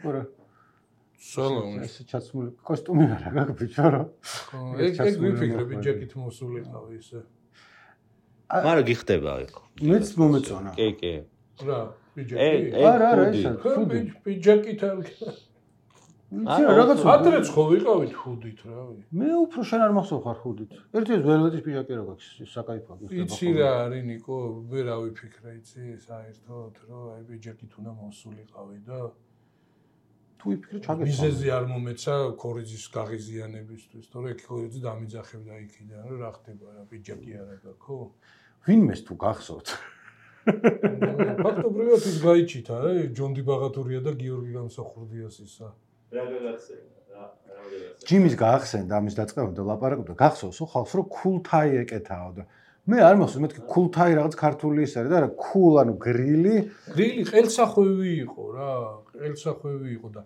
ყურა. სალამი. ეს ჩაცმული კოსტუმი არა გაქვს ბიჭო რა. ეგ ვიფიქრები ჯეკით მოსულიყავ ისე. მაგრამ გიხდება ეგ. მეც მომეწონა. კი. რა, ბიჯეკი? არა, ესა. ბიჯეკით არ რაღაც ადრეც ხო ვიყავით ხუდით რავი. მე უფრო შენ არ მახსოვ ხარ ხუდით. ერთის ველვეტის პიჟაკი რა გაქვს საკაიფო გიხდება. იცი რა არის ნიკო, ვერა ვიფიქრე იცი საერთოდ რომ აი ბიჯეკით უნდა მოსულიყავი და თუ ვიფიქრე ჩაგეცვა. მიზეზი არ მომეცა ქორიძის გაღიზიანებისთვის, თორე ქორიძე დამიძახებდა იქიდან რომ რა ხდება რა ბიჯეკი არა გაქო. ვინმეს თუ გახსოვთ? ფაქტობრივად ის გაიჩითა რა, ჯონდი ბაღათურია და გიორგი გამსახურდიას ისა. რა გაგახსენდა? ჯიმის გაახსენდა ამის დაწყებამდე ლაპარაკობდა გახსოვსო ხალხს რომ ქულთაი ეკეთაო და მე არ მახსოვს მეთქი ქულთაი რაღაც ქართული ის არის და რა ქულ ანუ გრილი ყელსახვევი იყო რა ყელსახვევი იყო და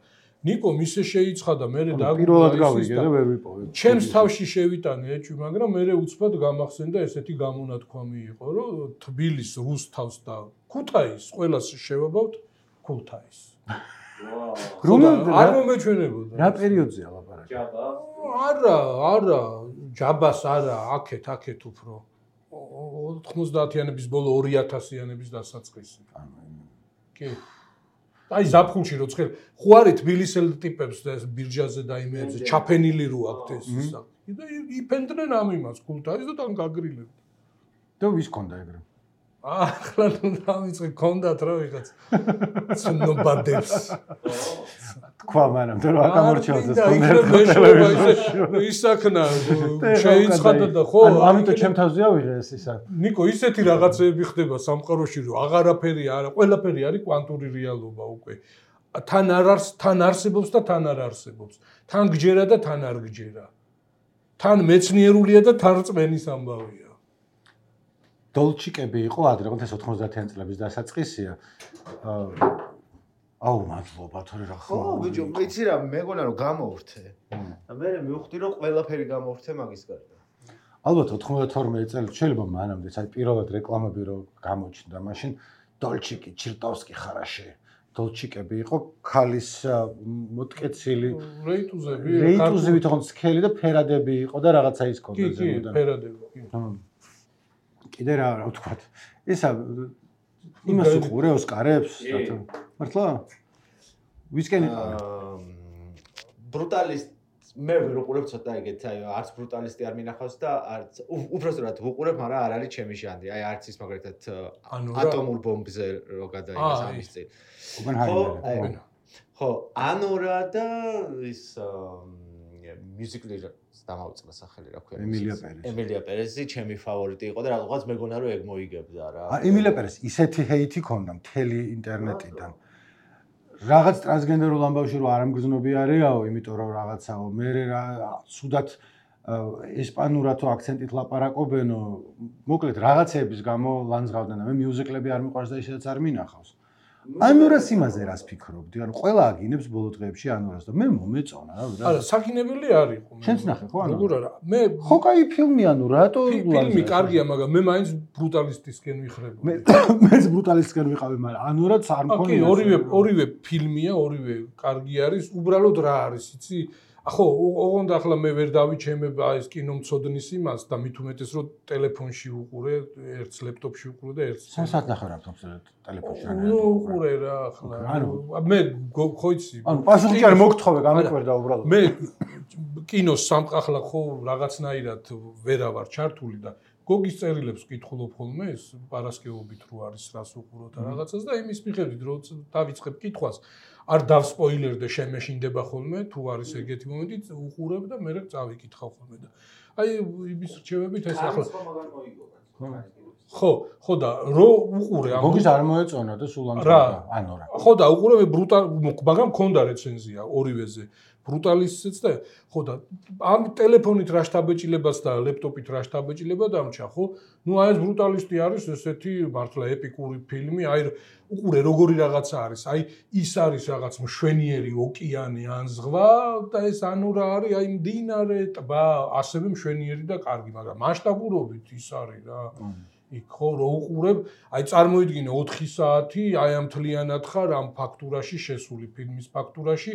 ნიკო მისე შეიცხადა მე და პირველად გავიგე და ვერ ვიპოვე ჩემს თავში შევიტანე ეჭვი მაგრამ მე უცბად გამახსენდა ესეთი გამონათქვამი იყო რომ თბილის რუსთავს და ქუთაის ყველას შევაბავთ ქულთაის არ მომეჩვენებოდა რა პერიოდზეა ლაპარაკი ჯაბა არა ჯაბას არა აქეთ უფრო 90-იანების ბოლო 2000-იანების დასაწყისი კი აი ზაფხულში რო ცხელ ხო არის თბილისელ ტიპებს და ბირჟაზე და იმეებზე ჩაფენილი რო აქვთ ეს საკი და იფენდნენ ამ იმას ქულთაის და თან გაგრილებდნენ და ვის ქონდა ეგრე ახლა ნუ დავიწყე ქონდათ რა ვიღაც ცნობადებს თქვა მანამ და რა გამორჩეოდეს ქონდა ისაქნა შეიცხადა და ხო ამიტომ ჩემ თავზე ავიღე ეს ისა ნიკო ისეთი რაღაცეები ხდება სამყაროში რომ აღარაფერი არა ყველაფერი არის კვანტური რეალობა უკვე თან არსებობს და თან არ არსებობს თან გჯერა და თან არ გჯერა თან მეცნიერულია და თან რწმენის ამბავია დოლჩიკები იყო ადრე, ეს 90-იან წლების დასაწყისია. აუ, მადლობა, თორე რა ხო. ხო, ბიჭო, მეცი რა, მეგონა რომ გამოვრთე. და მე მივხვდი რომ ყველაფერი გამოვრთე მაგის გარდა. ალბათ 92 წელი შეიძლება მანამდე, აი პირველად რეკლამები რო გამოჩნდა, მაშინ დოლჩიკი, ჩირტოვსკი ხარაში. დოლჩიკები იყო ქალის მოტკეცილი რეიტუზები თქო სქელი და ფერადები იყო და რაღაცა ის ქონდა ზემოდან. კი, ფერადები, კი. კიდე რა ვთქვათ. ისა იმას უყურე ოსკარებს მართლა? ვისკენ იყავი? ბრუტალისტ მე ვერ უყურებ ცოტა ეგეთ, აი არც ბრუტალისტი არ მინახავს და არც უბრალოდ უყურებ, მაგრამ არ არის ჩემი ჟანრი. აი არც ის მაგალითად ატომურ ბომბზე რო გადაიღეს ამის წინ. ხო, ანორა და ის მუსიკალი დამავიწყდა სახელი რა ქვია ემილია პერესი ჩემი ფავორიტი იყო და რაღაც მეგონა რომ ეგ მოიგებდა რა ემილია პერესი ისეთი ჰეითი ქონდა მთელი ინტერნეტიდან რაღაც ტრანსგენდერულ ამბავში რომ არ ამგზნობი არისაო იმიტომ რომ რაღაცაო მე რა სუდად ესპანურად თუ აქცენტით ლაპარაკობენო მოკლედ რაღაცეების გამო ლანძღავდნენ და მე მიუზიკლები არ მიყვარს და ისედაც არ მინახავს ანურას იმაზე რას ფიქრობდი? ანუ ყველა აგინებს ბოლო დღეებში ანურას და მე მომეწონა რა. არა, საქინებელი არ იყო. შენც ნახე ხო ანუ? როგორ არა? მე ხო კაი ფილმი ანუ რატო ფილმი კარგია, მაგრამ მე მაინც ბრუტალისტისკენ ვიხრებოდი. მეც ბრუტალისტისკენ ვიყავი, მაგრამ ანურაც არ მქონია. ორივე ფილმია, ორივე კარგი არის, უბრალოდ რა არის, იცი? ხო, ოღონდ ახლა მე ვერ დავიჩემებ ეს კინომცოდნის იმას და მით უმეტეს რომ ტელეფონში უყურე, ერთს ლეპტოპში უყურე და ერთს. საათ ნახე რა ტელეფონში რა. ნუ უყურე რა ახლა. მე ხო იცი. ანუ პასუხი არ მოგთხოვე, გამიკვირდა უბრალოდ. მე კინოს სამყახლა ხო რაღაცნაირად ვერა ვარ ჩართული და გოგის წერილებს ვკითხულობ ხოლმე ეს პარასკევობით რო არის რას უყუროთ რაღაცას და იმის მიხედვით რომ დავიწყებ კითხვას არ დავსპოილერდე შემეშინდება ხოლმე თუ არის ეგეთი მომენტი უყურებ და მე წავიკითხავ ხოლმე და აი იმის რჩევებით ეს ახლა ხო და რო უყურე ამ გოგის არ მოეწონა და სულ ამ ანუ რა ხო და უყურე ბრუტალ მაგრამ მქონდა რეცენზია ორივეზე ბრუტალისტიც და ხო და ამ ტელეფონით რა შთაბეჭდილებას და ლეპტოპით რა შთაბეჭდილება დამჭა ხო ნუ აი ეს ბრუტალისტი არის ესეთი მართლა ეპიკური ფილმი აი უყურე როგორი რაღაცა არის აი ის არის რაღაც მშვენიერი ოკეანე ან ზღვა და ეს ანურა არის აი მდინარე ტბა ასევე მშვენიერი და კარგი მაგრამ მასშტაბურობით ის არის რა იქ ხო რო უყურებ, აი წარმოიდგინე 4 საათი აი ამ მთლიანად ხარ ამ ფაქტურაში შესული ფილმის ფაქტურაში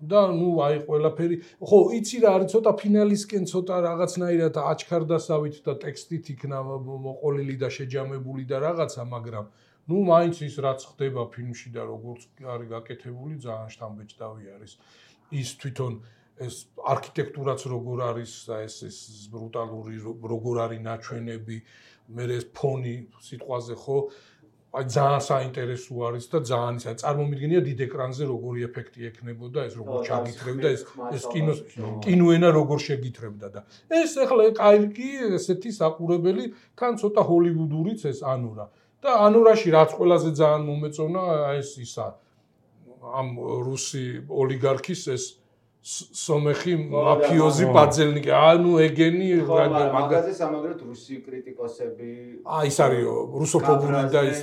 და ნუ აი ყველაფერი ხო იცი რა არის ცოტა ფინალისკენ ცოტა რაღაცნაირად აჩქარდასავით და ტექსტით იქნა მოყოლილი და შეჯამებული და რაღაცა მაგრამ ნუ მაინც ის რაც ხდება ფილმში და როგორც არის გაკეთებული ძალიან შთამბეჭდავი არის ის თვითონ ეს არქიტექტურაც როგორ არის და ეს ბრუტალური როგორ არის ნაჩვენები მე ეს ფონი სიტყვაზე ხო აი ძალიან საინტერესო არის და ძალიან ისა წარმომიდგენია დიდ ეკრანზე როგორი ეფექტი ექნებოდა ეს როგორ ჩაგითრევდა ეს კინოენა როგორ შეგითრევდა და ეს ახლა კაირკი ესეთი საყურებელი თან ცოტა ჰოლივუდურიც ეს ანურა და ანურაში რაც ყველაზე ძალიან მომეწონა ეს ისა ამ რუსი ოლიგარქის ეს სომეხი მაფიოზი პაძელნიკი ანუ ეგენი მაგაზე სამაგრად რუსი კრიტიკოსები აი ის არის რუსოფობური და ის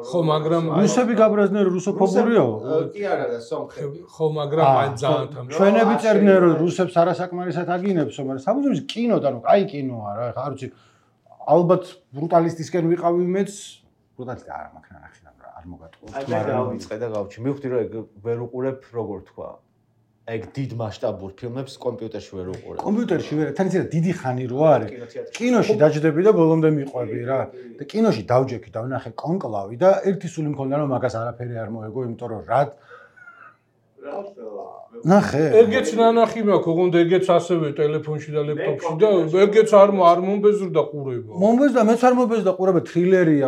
ხო მაგრამ რუსები გაბრაზდნენ რუსოფობურიო კი არა და სომხები ხო მაგრამ აი ძალიან თან ჩვენები წერდნენ რომ რუსებს არასაკმარისად აგინებსო მაგრამ საბუზის კინოდან კაი კინოა რა ხა არ ვიცი ალბათ ბრუტალისტისკენ ვიყავი მეც ბრუტალისტი არა მაგ ნახე არ მოგატყუა აი მე დავიწყე და გავჩი მივხვდი რომ ეგ ვერ უყურებ როგორ თქვა ეგ დიდ მასშტაბურ ფილმებს კომპიუტერში ვერ უყურებ. კომპიუტერში ვერ, თან ისე დიდი ხანი რო არის. კინოში დაჯდები და ბოლომდე მიყვები რა. და კინოში დავჯექი და ვნახე კონკლავი და ერთი სული მქონდა რომ მაგას არაფერი არ მოეგო, იმიტომ რომ რა ნახე. ეგეც ნანახი მაქვს, ოღონდ ეგეც ასევე ტელეფონში და ლეპტოპში და ეგეც არ მომბეზრდა ყურება. მომბეზდა, მეც არ მომბეზდა ყურება, თრილერია,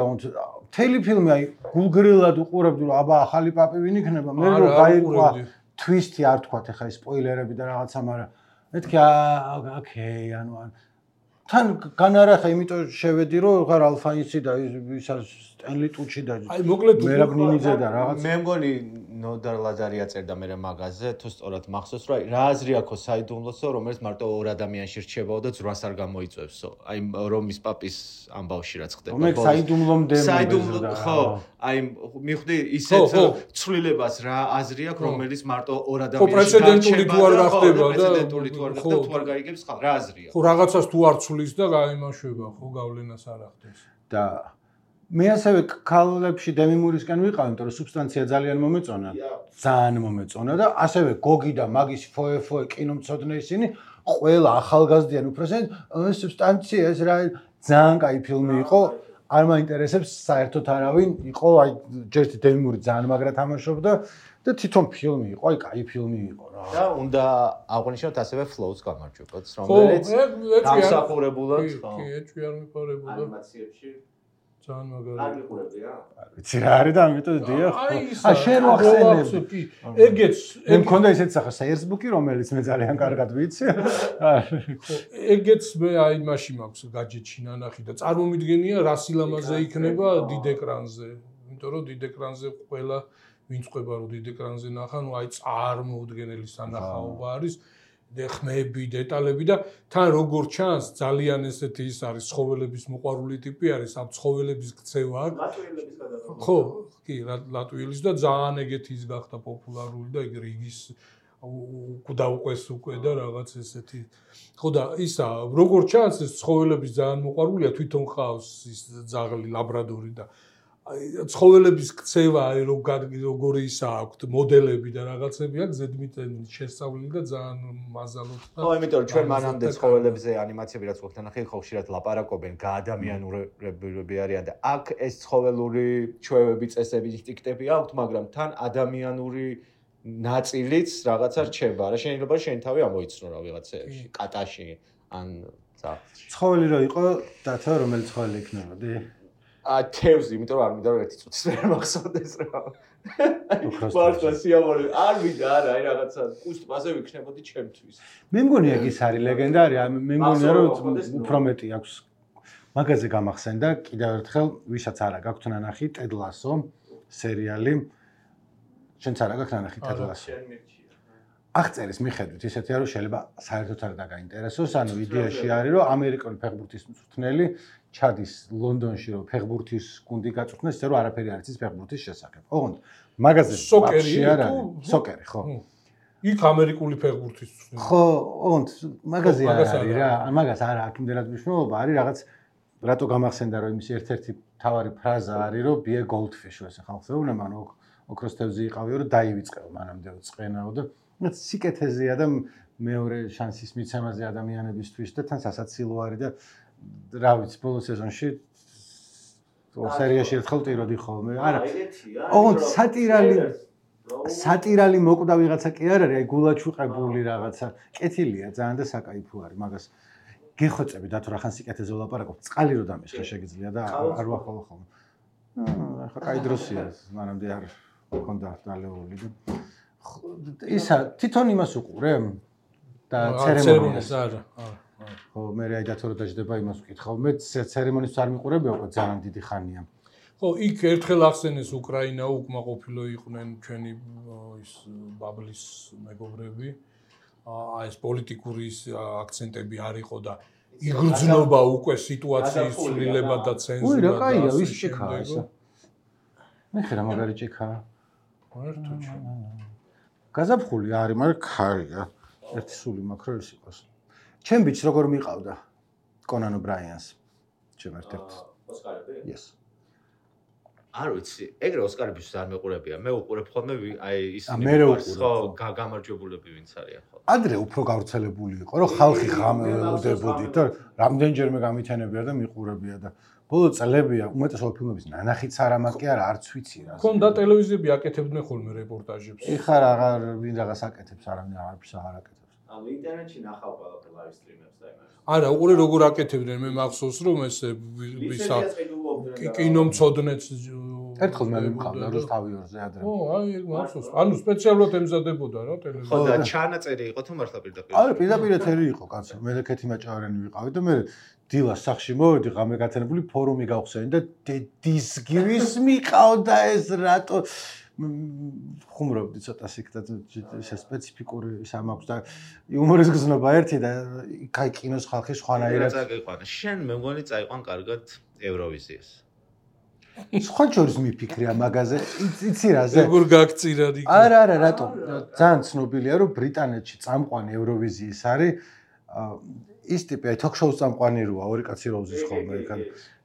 მთელი ფილმი აი გულგრილად უყურებდი რომ აბა ახალი პაპი ვინ იქნება, მე რო გაიყვა twist-ი არ თქვათ ახლა ის სპოილერები და რაღაცა, მაგრამ მეთქი ოკეი, ანუ თან განარახა, იმიტომ შევედი რომ ხარ ალფაინსი და ისა სტენლი ტუჩი და აი მოკლედ მერაბნინიძე და რაღაც მე მგონი ნოდარ ლაზარია წერდა მე მაგაზე თუ სწორად მახსოვს რომ რა აზრი აქვს საიდუმლოსო რომელიც მარტო ორ ადამიანში რჩებაო და ძრას არ გამოიწვევსო აი რომის პაპის ამბავში რაც ხდება მე საიდუმლომდე საიდუმლო ხო აი მივხვდი ისეთ ცვლილებას რა აზრი აქვს რომელიც მარტო ორ ადამიანში პრეცედენტული თუ არ გახდება და პრეცედენტული თუ არ გახდება თუ არ გაიგებს ხალ რა აზრია ხო რაღაცას თუ არ ცვლის და გაიმაშვება ხო გავლენას არ ახდენს და მე ასევე ქალებში დემიმურისკენ ვიყავ, იმიტომ რომ სუბსტანცია ძალიან მომეწონა. ძალიან მომეწონა და ასევე გოგი და მაგის ფოე კინომცოდნე ისინი ყველა ახალგაზრდიან უფროსად ეს სუბსტანცია ეს რა ძალიან კაი ფილმი იყო. არ მაინტერესებს საერთოდ არავინ იყო, აი ჯერტი დემიმური ძალიან მაგრა თამაშობდა და თვითონ ფილმი იყო, აი კაი ფილმი იყო რა. და უნდა აღვნიშნოთ ასევე flows გამარჯვებაც, რომელიც დამსახურებულად ხო. კი, ეჭვი არ მიყარებოდა ანიმაციებში ძალიან მაგარი. არ მიყურებდი რა. ვიცი რა არის და ამიტომ დიახ. აი შენ ვახსენებ. კი, ეგეც მე მქონდა ისეთი სახე Facebook-ი, რომელიც მე ძალიან კარგად ვიცი. ეგეც მე აი მაშინ მაქვს გაჯეტში ნანახი და წარმომიდგენია რა სილამაზე იქნება დიდ ეკრანზე. იმიტომ რომ დიდ ეკრანზე ყველა ვინც ყვება რომ დიდ ეკრანზე ნახა, ნუ აი წარმოუდგენელი სანახაობა არის. ხმები, დეტალები და თან როგორ ჩანს ძალიან ესეთი ის არის ცხოველების მოყვარული ტიპი არის, ამ ცხოველების ქცევა აქვს. ლატვიელების გადაღება. ხო, კი, ლატვიელის და ძალიან ეგეთი ის გახდა პოპულარული და ეგ რიგის დაუყვეს უკვე და რაღაც ესეთი. ხო და ისა, როგორ ჩანს ეს ცხოველების ძალიან მოყვარულია, თვითონ ხავს ის ძაღლი ლაბრადორი და აი ცხოველების ქცევა აი როგორი ისა აქვს მოდელები და რაღაცები აქვს ზედმიწევნით შესწავლილი და ძალიან მაზალოთ და ხო იმიტომ რომ ჩვენ მანამდე ცხოველებზე ანიმაციები რაც გვაქვს ნახე ხო ხშირად ლაპარაკობენ გაადამიანურებები არიან და აქ ეს ცხოველური ჩვევები წესები ინსტინქტები აქვთ მაგრამ თან ადამიანური ნაწილიც რაღაცა რჩება რა შეიძლება შენ თავი ამოიცნო რა ვიღაცაში კატაში ან ცხოველი რო იყო დათა რომელი ცხოველი იქნებოდი თევზი, იმიტომ რომ არ მინდა რომ ერთი წუთის ვერ მახსოვდეს რა. მართლა სიამოვნებაა. არ მინდა არა, აი რაღაცა კუსტმაზე ვიქნებოდი ჩემთვის. მე მგონი ეგ ის არის ლეგენდარი, მე მგონია რომ უფრო მეტი აქვს. მაგაზე გამახსენდა კიდევ ერთხელ, ვისაც არა გაქვთ ნანახი ტედ ლასო სერიალი. შენც არა გაქვთ ნანახი ტედ ლასო. აღწერის მიხედვით ისეთია რომ შეიძლება საერთოდ არ დაგაინტერესოს, ანუ იდეაში არის რომ ამერიკული ფეხბურთის მწვრთნელი ჩადის ლონდონში რომ ფეხბურთის გუნდი გაწვრთნეს, ისე რომ არაფერი არ იცის ფეხბურთის შესახებ. ოღონდ მაგაზე სოკერი არა, სოკერი ხო. იქ ამერიკული ფეხბურთის ხო, ოღონდ მაგაზე არ არის რა, მაგას არა აქ იმდენად მნიშვნელობა არის რაღაც რატო გამახსენდა რომ იმის ერთ-ერთი თავარი ფრაზა არის რომ be a goldfish ესე ხალხს ეუბნება ანუ ოქროს თევზი იყავიო რომ დაივიწყეო მანამდე წყენაო და სიკეთეზეა და მეორე შანსის მიცემაზე ადამიანებისთვის და თან სასაცილო არის და რა ვიცი ბოლო სეზონში სერიაში ერთხელ ტიროდი ხოლმე არა ოღონდ სატირალი მოკვდა ვიღაცა კი არ არის აი გულაჩუყებული რაღაცა კეთილია ძალიან და საკაიფო არის მაგას გეხვეწები და თუ რახან სიკეთეზე ვლაპარაკობ წყალი რო დამესხა შეგიძლია და არ ვახვალ ხოლმე ახლა კაი დროსია მანამდე არ მქონდა დალეული და ისა თვითონ იმას უყურე და ცერემონიას არა ხო მე აი დათო რო დაждდება იმას ვკითხავ მე ცერემონიას არ მიყურებია უკვე ძალიან დიდი ხანია ხო იქ ერთხელ ახსენეს უკრაინა უკმაყოფილო იყვნენ ჩვენი ის ბაბლის მეგობრები აი ეს პოლიტიკური აქცენტები არ იყო და იგრძნობა უკვე სიტუაციის ცვლილება და ცენზურა უი რა კაია ვის ჭიქაა ეს მე ხერა მაგარი ჭიქაა მარტო გაზაფხული არის მაგრამ ქარია ერთი სული მაქვს რომ ის იყოს ჩემ ბიჭს როგორ მიყავდა კონან ობრაიანს ჩემ ერთ-ერთ ოსკარები yes არ ვიცი ეგრე ოსკარებისთვის არ მეყურებია მე უყურებ ხოლმე აი ისინი მე რა უყურებ ხო გამარჯვებულები ვინც არიან ხო ადრე უფრო გავრცელებული იყო რომ ხალხი ღამეუდებოდით და რამდენჯერმე გამითენებია და მიყურებია და ბოლო წლებია უმეტესობა ფილმების ნანახიც არა მაგ კი არა არც ვიცი რა ქონდა ტელევიზიები აკეთებდნენ ხოლმე რეპორტაჟებს ეხლა აღარ ვინ რაღაც აკეთებს არავინ არაფერს აღარ აკეთებს ანუ ინტერნეტში ნახავ ყველაფერ ლაივ სტრიმებს და იმას არა უყურე როგორ აკეთებდნენ მე მახსოვს რომ ესე ვისა კინომცოდნეც ერთხელ მე მიყავდა რუსთავიორზე ადრე ო აი ეგ მახსოვს ანუ სპეციალურად ემზადებოდა რა ტელევიზია ხო და ჩანაწერი იყო თუ მართლა პირდაპირ არა პირდაპირ ეთერი იყო კაცო მე ლეკეთი მაჭარიანი ვიყავი და მე დილას სახში მოვედი ღამე გათენებული ფორუმი გავხსენი და დისგივის მიყავდა ეს რატო ხუმრობდი ცოტა სიკთა სპეციფიკური ისა მაქვს და იუმორის გზნობა ერთი და კაი კინოს ხალხი სხვანაირად წაიყვანა შენ მე მგონი წაიყვან კარგად ევროვიზიას სხვა შორის მიფიქრია მაგაზე იცი რაზე როგორ გაგწირა იქ არა რატო ძალიან ცნობილია რომ ბრიტანეთში წამყვანი ევროვიზიის არის ის ტიპი აი თოქ-შოუს წამყვანი როა ორი კაცი რო უზის ხოლმე იქან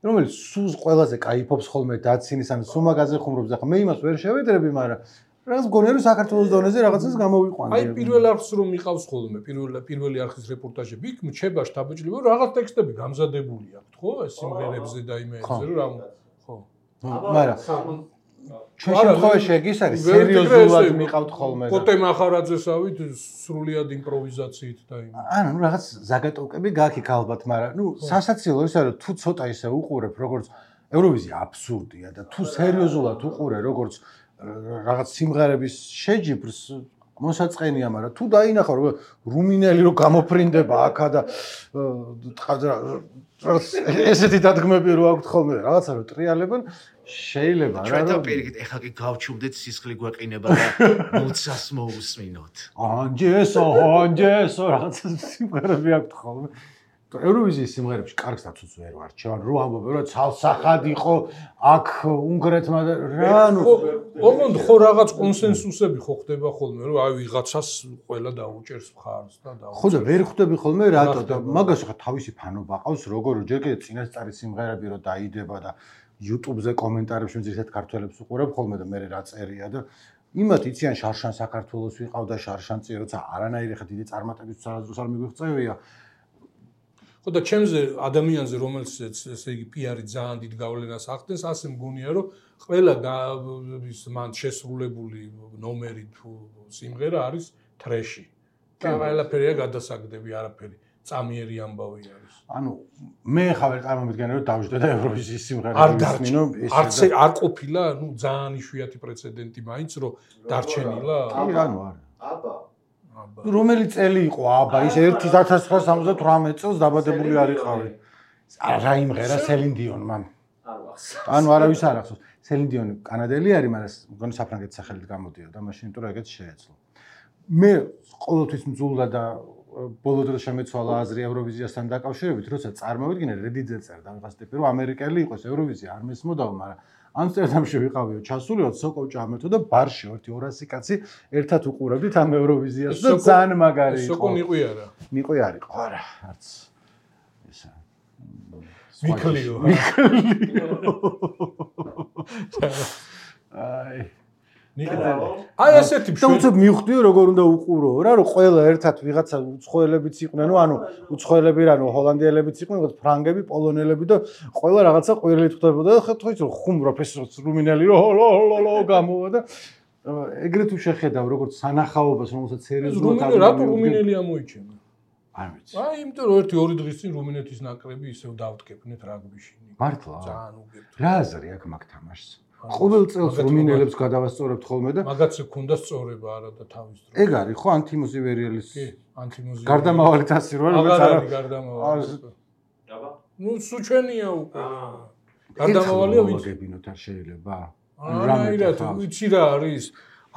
რომელიც სულს ყველაზე кайფობს ხოლმე დაცინის ან სულ მაგაზე ხუმრობს ახლა მე იმას ვერ შევედრები მაგრამ რაღაც მგონია რომ საქართველოს დონეზე რაღაცას გამოვიყვანდი აი პირველ არხს რომ მიყავს ხოლმე პირველი არხის რეპორტაჟები იქ მჩება შთაბეჭდილება რომ რაღაც ტექსტები გამზადებული აქვს ხო ეს სიმღერებზე და იმებზე რომ რა ხო მაგრამ ჩვენ შემთხვევაში ეგ ის არის სერიოზულად მიყავთ ხოლმე კოტე მახარაძესავით სრულიად იმპროვიზაციით და იმ ანუ რაღაც ზაგატოვკები გაიქ ალბათ მაგრამ ნუ სასაცილო ის არის თუ ცოტა ისე უყურებ როგორც ევროვიზია აბსურდია და თუ სერიოზულად უყურე როგორც რაღაც სიმღერების შეჯიბრს მოსაწყენია მაგრამ თუ დაინახავ რომ რუმინელი რო გამოფრინდება აქა და ესეთი დადგმები რო აქვთ ხოლმე რაღაცა რო ტრიალებენ შეიძლება რა ჩვენ და პირიქით ეხლა კი გავჩუმდეთ სისხლი გვეყინება და მოცას მოусმინოთ ანჯესო რაღაცა სიმღერები აქვთ ხოლმე ევროვიზიის სიმღერებში კარგს დაცუც ვერ ვარჩევან რო ამბობენ რომ ცალსახად იყო აქ უნგრეთმა და რა ნუ ოღონდ ხო რაღაც კონსენსუსები ხო ხდება ხოლმე რომ აი ვიღაცას ყველა დაუჭერს მხარს და ხო და ვერ ხვდები ხოლმე რატო და მაგას ხა თავისი ფანობა ყავს როგორ ჯერ კიდე წინასწარი სიმღერები რო დაიდება და YouTube-ზე კომენტარებში ძირითადად ქართველებს უყურებ ხოლმე და მე რა წერია და იმათ იციან შარშან საქართველოს ვიყავდა შარშანწი როცა არანაირი ხა დიდი წარმატებისთვის არასდროს არ მიგვიღწევია ხო და ჩემზე ადამიანზე რომელსაც ესე იგი PR-ი ძალიან დიდ გავლენას ახდენს ასე მგონია რომ ყველა ის მან შესრულებული ნომერი თუ სიმღერა არის ტრეში და ყველაფერია გადასაგდები არაფერი წამიერი ამბავი არის ანუ მე ხა ვერ წარმომიდგენე რომ დავждე და ევროვიზიის სიმღერები ვისმინო არ ყოფილა ნუ ძალიან იშვიათი პრეცედენტი მაინც რომ დარჩენილა კი ანუ არა აბა რომელი წელი იყო აბა ის 1978 წელს დაბადებული არ იყავი რა იმღერა სელინ დიონმა ანუ არავის არ ახსოვს სელინ დიონი კანადელი არის მაგრამ მგონი საფრანგეთის სახელით გამოდიოდა მაშინ იმიტომ რომ ეგეც შეეძლო მე ყოველთვის მძულდა და ბოლო დროს შემეცვალა აზრი ევროვიზიასთან დაკავშირებით როცა წარმოვიდგინე რედიძე წერდა ვიღაც ტიპი რომ ამერიკელი იყოს ევროვიზია არ მესმოდაო მაგრამ ამსტერდამში ვიყავიო ჩასულიო სოკო ჭამეთო და ბარში 200 კაცი ერთად უყურებდით ამ ევროვიზიას და ძალიან მაგარი იყო სოკო ნიყვი არა ნიყვი არ იყო არა არც ისა მიქლიო. აი აი ასეთი და უცებ მივხვდიო როგორ უნდა უყურო რა რომ ყველა ერთად ვიღაცა უცხოელებიც იყვნენ ანუ უცხოელები რა ჰოლანდიელებიც იყვნენ ფრანგები პოლონელები და ყველა რაღაცა ყვირილით ხვდებოდა და ხო იცი ხუმ პროფესორს რუმინელი რო გამოვა და ეგრეთ თუ შეხედავ როგორც სანახაობას რომელსაც სერიოზულად რატო რუმინელი ამოიჩენა არ ვიცი აი იმიტომ რომ 1-2 დღის წინ რუმინეთის ნაკრები ისევ დავტკეპნეთ რაგბიში მართლა ძალიან უგებთ რა აზრი აქვს მაგ თამაშს ყოველ წელს რუმინელებს გადავასწორებთ ხოლმე და მაგაცი ქონდა სწორება არა და თავის დრო ეგ არის ხო ანთიმოზივერიელის კი ანთიმოზივერი გარდამავალი თასი რო რომელიც არა გარდამავალი აბა ნუ სუჩენია უკვე გარდამავალია ვინც მოვაგებინოთ არ შეიძლება რამე ვიცი რა არის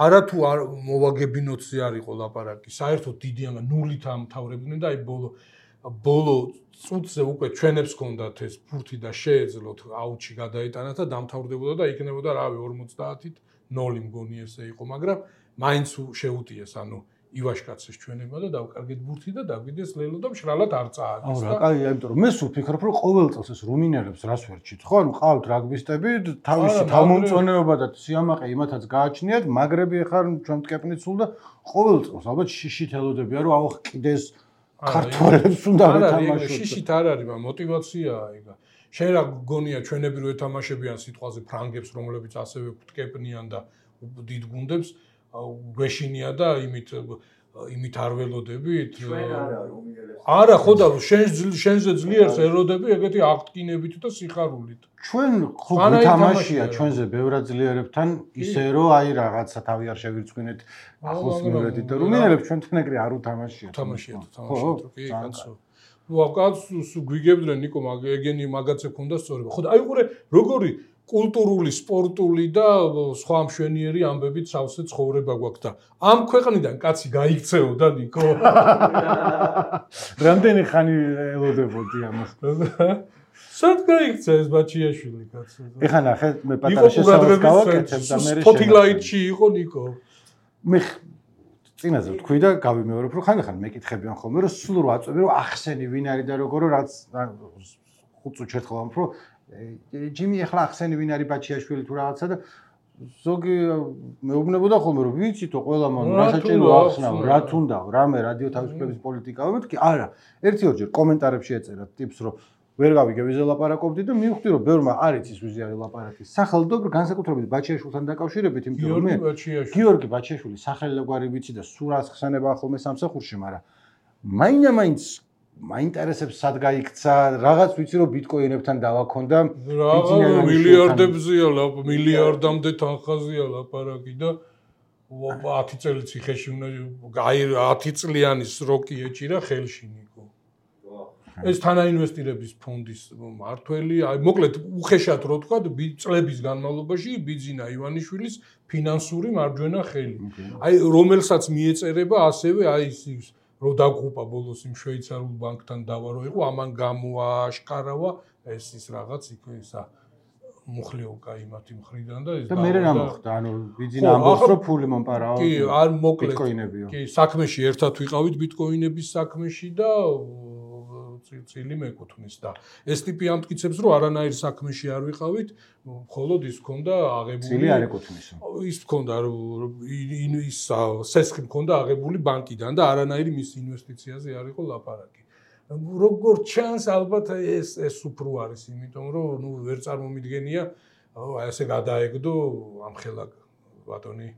არა თუ არ მოვაგებინოთზე არ იყო ლაპარაკი საერთოდ დიდი ამა ნულით ამთავრებდნენ და აი ბოლო წუთზე უკვე ჩვენებს ჰქონდათ ეს ფურთი და შეეძლოთ აუტში გადაეტანათ და დამთავრდებოდა და იქნებოდა რავი 50-ით 0 მგონი ესე იყო მაგრამ მაინც შეუტიეს ანუ ივაშკაცის ჩვენება და დავკარგეთ ბურთი და დაგვიდეს ლელო და მშრალად არ წააგეს და აი ამიტომ რომ მე სულ ვფიქრობ რომ ყოველ წელს ეს რუმინელებს რას ვერჩით ხო ანუ ყავთ რაგბისტები თავისი თავმომწონეობა და სიამაყე იმათაც გააჩნიათ მაგრები ახლა ჩვენ მტკეპნით სულ და ყოველ წელს ალბათ შიშით ელოდებია რომ აუ კიდეს ქართველებს უნდა ეთამაშოთ შიშით არ არის მაგრამ мотиваციაა ეგ შენ რა გონია ჩვენები რო ეთამაშებიან სიტყვაზე ფრანგებს რომლებიც ასევე მტკეპნიან და დიდ გუნდებს გვეშინია და იმით არ ველოდებით ჩვენ არა რუმინელებს არა ხო და შენზე ძლიერს ელოდები ეგეთი აღტკინებით და სიხარულით ჩვენ ხო გითამაშია ჩვენზე ბევრად ძლიერებთან ისე რომ აი რაღაცა თავი არ შევირწმინეთ ახლოს მივედით და რუმინელებს ჩვენთან ეგრე არ უთამაშიათ თამაშიათ კი კაცო ნუ კაცო გვიგებდნენ ნიკო ეგენი მაგაცე ქონდა სწორება ხო და აი ყურე როგორი კულტურული, სპორტული და სხვა მშვენიერი ამბებით სავსე ცხოვრება გვაქვს და ამ ქვეყნიდან კაცი გაიქცეოდა ნიკო. რამდენი ხანი ელოდებოდი ამას? სად გაიქცა ეს ბაჩიაშვილი კაცო? ეხლა ნახე მე პატარა შესაძლოა გავაკეთებ და მე სპოტლაიტში იყო ნიკო. მე წინაზე ვთქვი და გავიმეორებ რომ ხან მეკითხებიან ხოლმე რომ სულ რო აწვევი რომ ახსენი ვინ არის და როგორ რაც 5 წუთში ერთხელ ამ რომ ჯიმი ახლა ახსენი ვინ არის ბაჩიაშვილი თუ რაღაცა და ზოგი მეუბნებოდა ხოლმე რომ ვიცითო ყველა მან რა საჭირო ახსნაო რა თუნდაო რამე რადიო თავისუფლების პოლიტიკაა მეთქი არა ერთი-ორჯერ კომენტარებში ეწერა ტიპს რომ ვერ გავიგე ვიზე ლაპარაკობდი და მივხვდი რომ ბევრმა არ იცის ვიზე არის ლაპარაკი სახელმწიფო განსაკუთრებით ბაჩიაშვილთან დაკავშირებით იმიტომ რომ მე გიორგი ბაჩიაშვილი სახელგვარი ვიცი და სულ რას ხსენება ხოლმე სამსახურში მაგრამ მაინც მაინტერესებს სად გაიქცა რაღაც ვიცი რომ ბიტკოინებთან დავაქონდა მილიარდებზეა მილიარდამდე თანხაზეა ლაპარაკი და 10 წელი ციხეში უნდა აი 10 წლიანი სროკი ეჭირა ხელში ნიკო ეს თანაინვესტირების ფონდის მართველი აი მოკლედ უხეშად რო თქვა წლების განმავლობაში ბიძინა ივანიშვილის ფინანსური მარჯვენა ხელი აი რომელსაც მიეწერება ასევე აი ის რო დაგღუპა ბოლოს იმ შვეიცარიულ ბანკთან დავა რო იყო ამან გამოაშკარავა ეს ის რაღაც იქ ისა მუხლიოვკა იმათი მხრიდან და ეს და მე რა მოხდა ანუ ბიძინა ამბობს რომ ფული მომპარაო კი არ მოკლედ ბიტკოინებიო კი საქმეში ერთად ვიყავით ბიტკოინების საქმეში და წილი მეკუთვნის და ეს ტიპი ამტკიცებს რომ არანაირ საქმეში არ ვიყავით მხოლოდ ის ქონდა აღებული წილი არ ეკუთვნისო ის ქონდა ის სესხი ქონდა აღებული ბანკიდან და არანაირი მის ინვესტიციაზე არ იყო ლაპარაკი როგორ ჩანს ალბათ ეს უფრო არის იმიტომ რომ ნუ ვერ წარმომიდგენია აი ესე გადაეგდო ამხელა ბატონი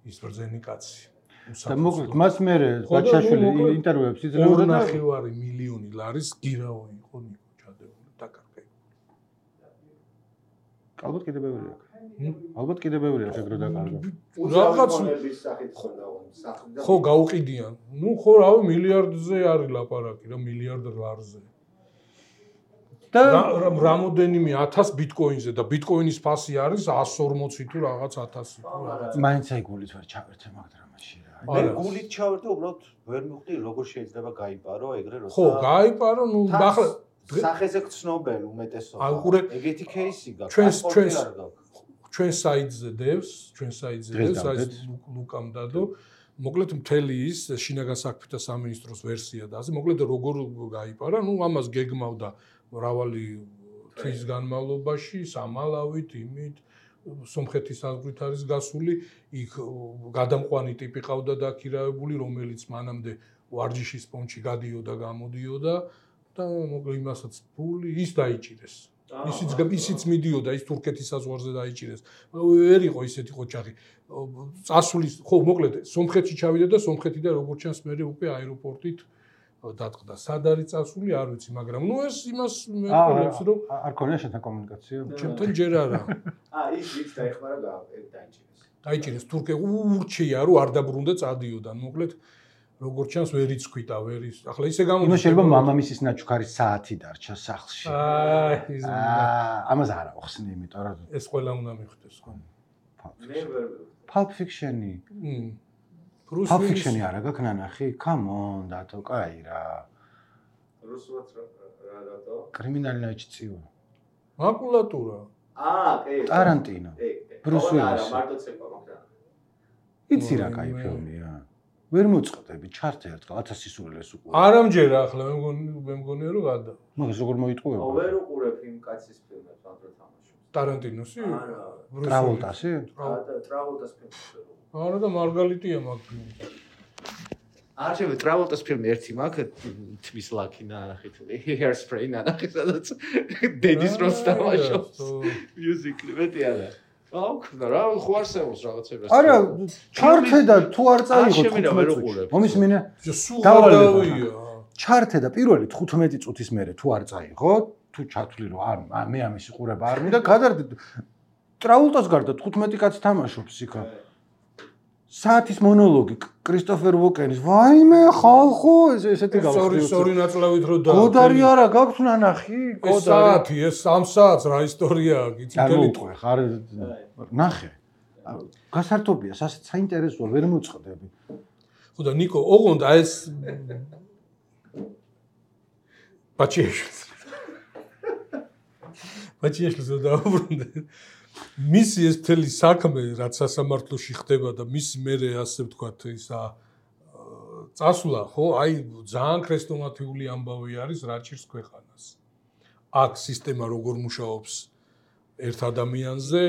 ის ბრძენი კაცი და მოკლედ მას მე ბაჩაშვილი ინტერვიუებს იძლეოდა და 2.5 მილიონი ლარის გირაო იყო ნიკო ჩადებული დაკარგე. ალბათ კიდე ბევრი აქვს. ალბათ კიდე ბევრი აქვს ეგრე დაკარგა. რაღაც ხო გაუყიდიან. ნუ ხო რავი მილიარდზე არის ლაპარაკი რა მილიარდ ლარზე. და რამოდენიმე 1000 ბიტკოინზე და ბიტკოინის ფასი არის 140 თუ რაღაც 1000 თუ რაღაც. მაინც აი გულით ვერ ჩავერთე მაგ დრამაში რა. მე გულით ჩავერთე უბრალოდ ვერ მივხვდი როგორ შეიძლება გაიპარო ეგრე როცა ხო გაიპარო ნუ ახლა სახეზე გწნობენ უმეტესობა ეგეთი кейსი გაქვს ჩვენ საიტზე დევს საიტ ლუკამ დადო მოკლედ მთელი ის შინაგან საქმეთა სამინისტროს ვერსია და ასე მოკლედ როგორ გაიპარა ნუ ამას გეგმავდა მრავალი თვის განმავლობაში სამალავით იმით სომხეთის საზღვრით არის გასული, იქ გადამყვანი ტიპი ყავდა დაქირავებული, რომელიც მანამდე ვარჯიშის პონჩი გადიოდა, გამოდიოდა და მოკლედ იმასაც ფული ის დაიჭირეს. ისიც მიდიოდა, ის თურქეთის საზღვარზე დაიჭირეს. ვერ იყო ისეთი ყოჩაღი. წასulis, ხო, მოკლედ სომხეთში ჩავიდა და სომხეთიდან როგორც ჩანს მე უკვე აეროპორტით დატყდა. სად არის წასული, არ ვიცი, მაგრამ ნუ ეს იმას მე ვფიქრობ, რომ არ ქონია შენთან კომუნიკაცია? ჩემთან ჯერ არა. ის ვიც დაეხმარა და დაიჭირეს. დაიჭირეს თურქე ურჩია რომ არ დაბრუნდა წადიოდა. მოკლედ როგორც ჩანს ვერ იცქვიდა, ვერ ის. ახლა ისე გამოდის. ნუ შეიძლება მამამისის ნაჩუქარის საათი დარჩა სახლში. აი, ამას არ ახსნი, იმიტომ რომ ეს ყველა უნდა მიხვდეს ხო. მე ვერ Pulp Fiction-ი. Bruce Pulp Willis. Fiction-ი არა გაქვს ნანახი? Come on, დათო, კაი რა. რუსულად რა დათო? კრიმინალი ნაჭწიო. მაკულატურა. კი. ტარანტინო. Bruce Willis. მარტო ცეკვა მაგდა. იცი რა კაი ფილმია. ვერ მოწყდები, ჩართე ერთხელ 1000 სისულელეს უყურე. არ ამჯერა ახლა მე მგონია რომ გადა. მაგას როგორ მოიტყუება? ვერ უყურებ იმ კაცის ფილმებს, ანდრო თამაშობს. ტარანტინოსი? Travolta-სი? Travolta-ს ფილმს. არა და მარგალიტია მაგ ფილმი. არ შეიძლება Travolta-ს ფილმი ერთი მაქვს, თმის ლაკი ნახით, Hairspray ნახით, სადაც დედის როლს თამაშობს. Music-ი მეტი არა. აუქნა რა, ხო არსებობს რაღაცები. არა, ჩართე და თუ არ წაიღო 15 მომის მინე. სუღარავია. ჩართე და პირველი 15 წუთის მერე თუ არ წაიღო, თუ ჩათვლი რომ არ მე ამის ყურება არ მინდა, გადარდი. Travolta-ს გარდა 15 კაცი თამაშობს იქ. საათის მონოლოგი კრისტოფერ ვოკენის. ვაიმე ხალხო, ესეთი გავხდი. სწორი ნაწლავით რო და. გოდარი არა გაქვს ნანახი? ეს საათი, ეს 3 საათს რა ისტორიაა, გიწითელი ტყვე, ხარ ნახე. გასართობია, საინტერესოა, ვერ მოწყდები. ხო და ნიკო, ოღონდ ეს ბაჩიაშვილს დაუბრუნდე. მისი ეს მთელი საქმე, რაც სასამართლოში ხდება და მისი მერე ასე ვთქვათ, ისა წასვლა, ხო, აი ძალიან ქრესტომათიული ამბავი არის, რა ჭირს ქვეყანას. აქ სისტემა როგორ მუშაობს ერთ ადამიანზე,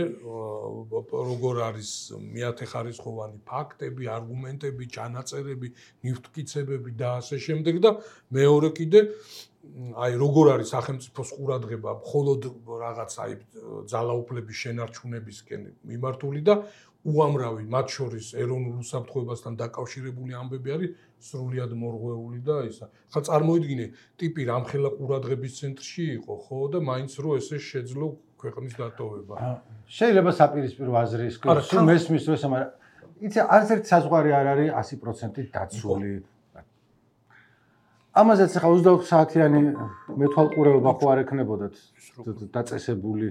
როგორ არის მეათეხარისხოვანი ფაქტები, არგუმენტები, ჩანაწერები, ნივთმკიცებები და ასე შემდეგ და მეორე კიდე აი როგორ არის სახელმწიფოს ყურადღება მხოლოდ რაღაც აი ძალაუფლების შენარჩუნებისკენ მიმართული და უამრავი მათ შორის ეროვნულ უსაფრთხოებასთან დაკავშირებული ამბები არის სრულიად მორღვეული და ისა. ხა წარმოიდგინე, ტიპი რამხელა ყურადღების ცენტრში იყო, ხო და მაინც რო ესე შეძლო ქვეყნის დატოვება. შეიძლება საპირისპირო აზრი ის თუ მესმის თუ ესა, მაგრამ იცი არც ერთი საზღვარი არ არის 100% დაცული. ამაზეც ახლა 24 საათიანი მეთვალყურეობა ხო არ ექნებოდათ დაწესებული.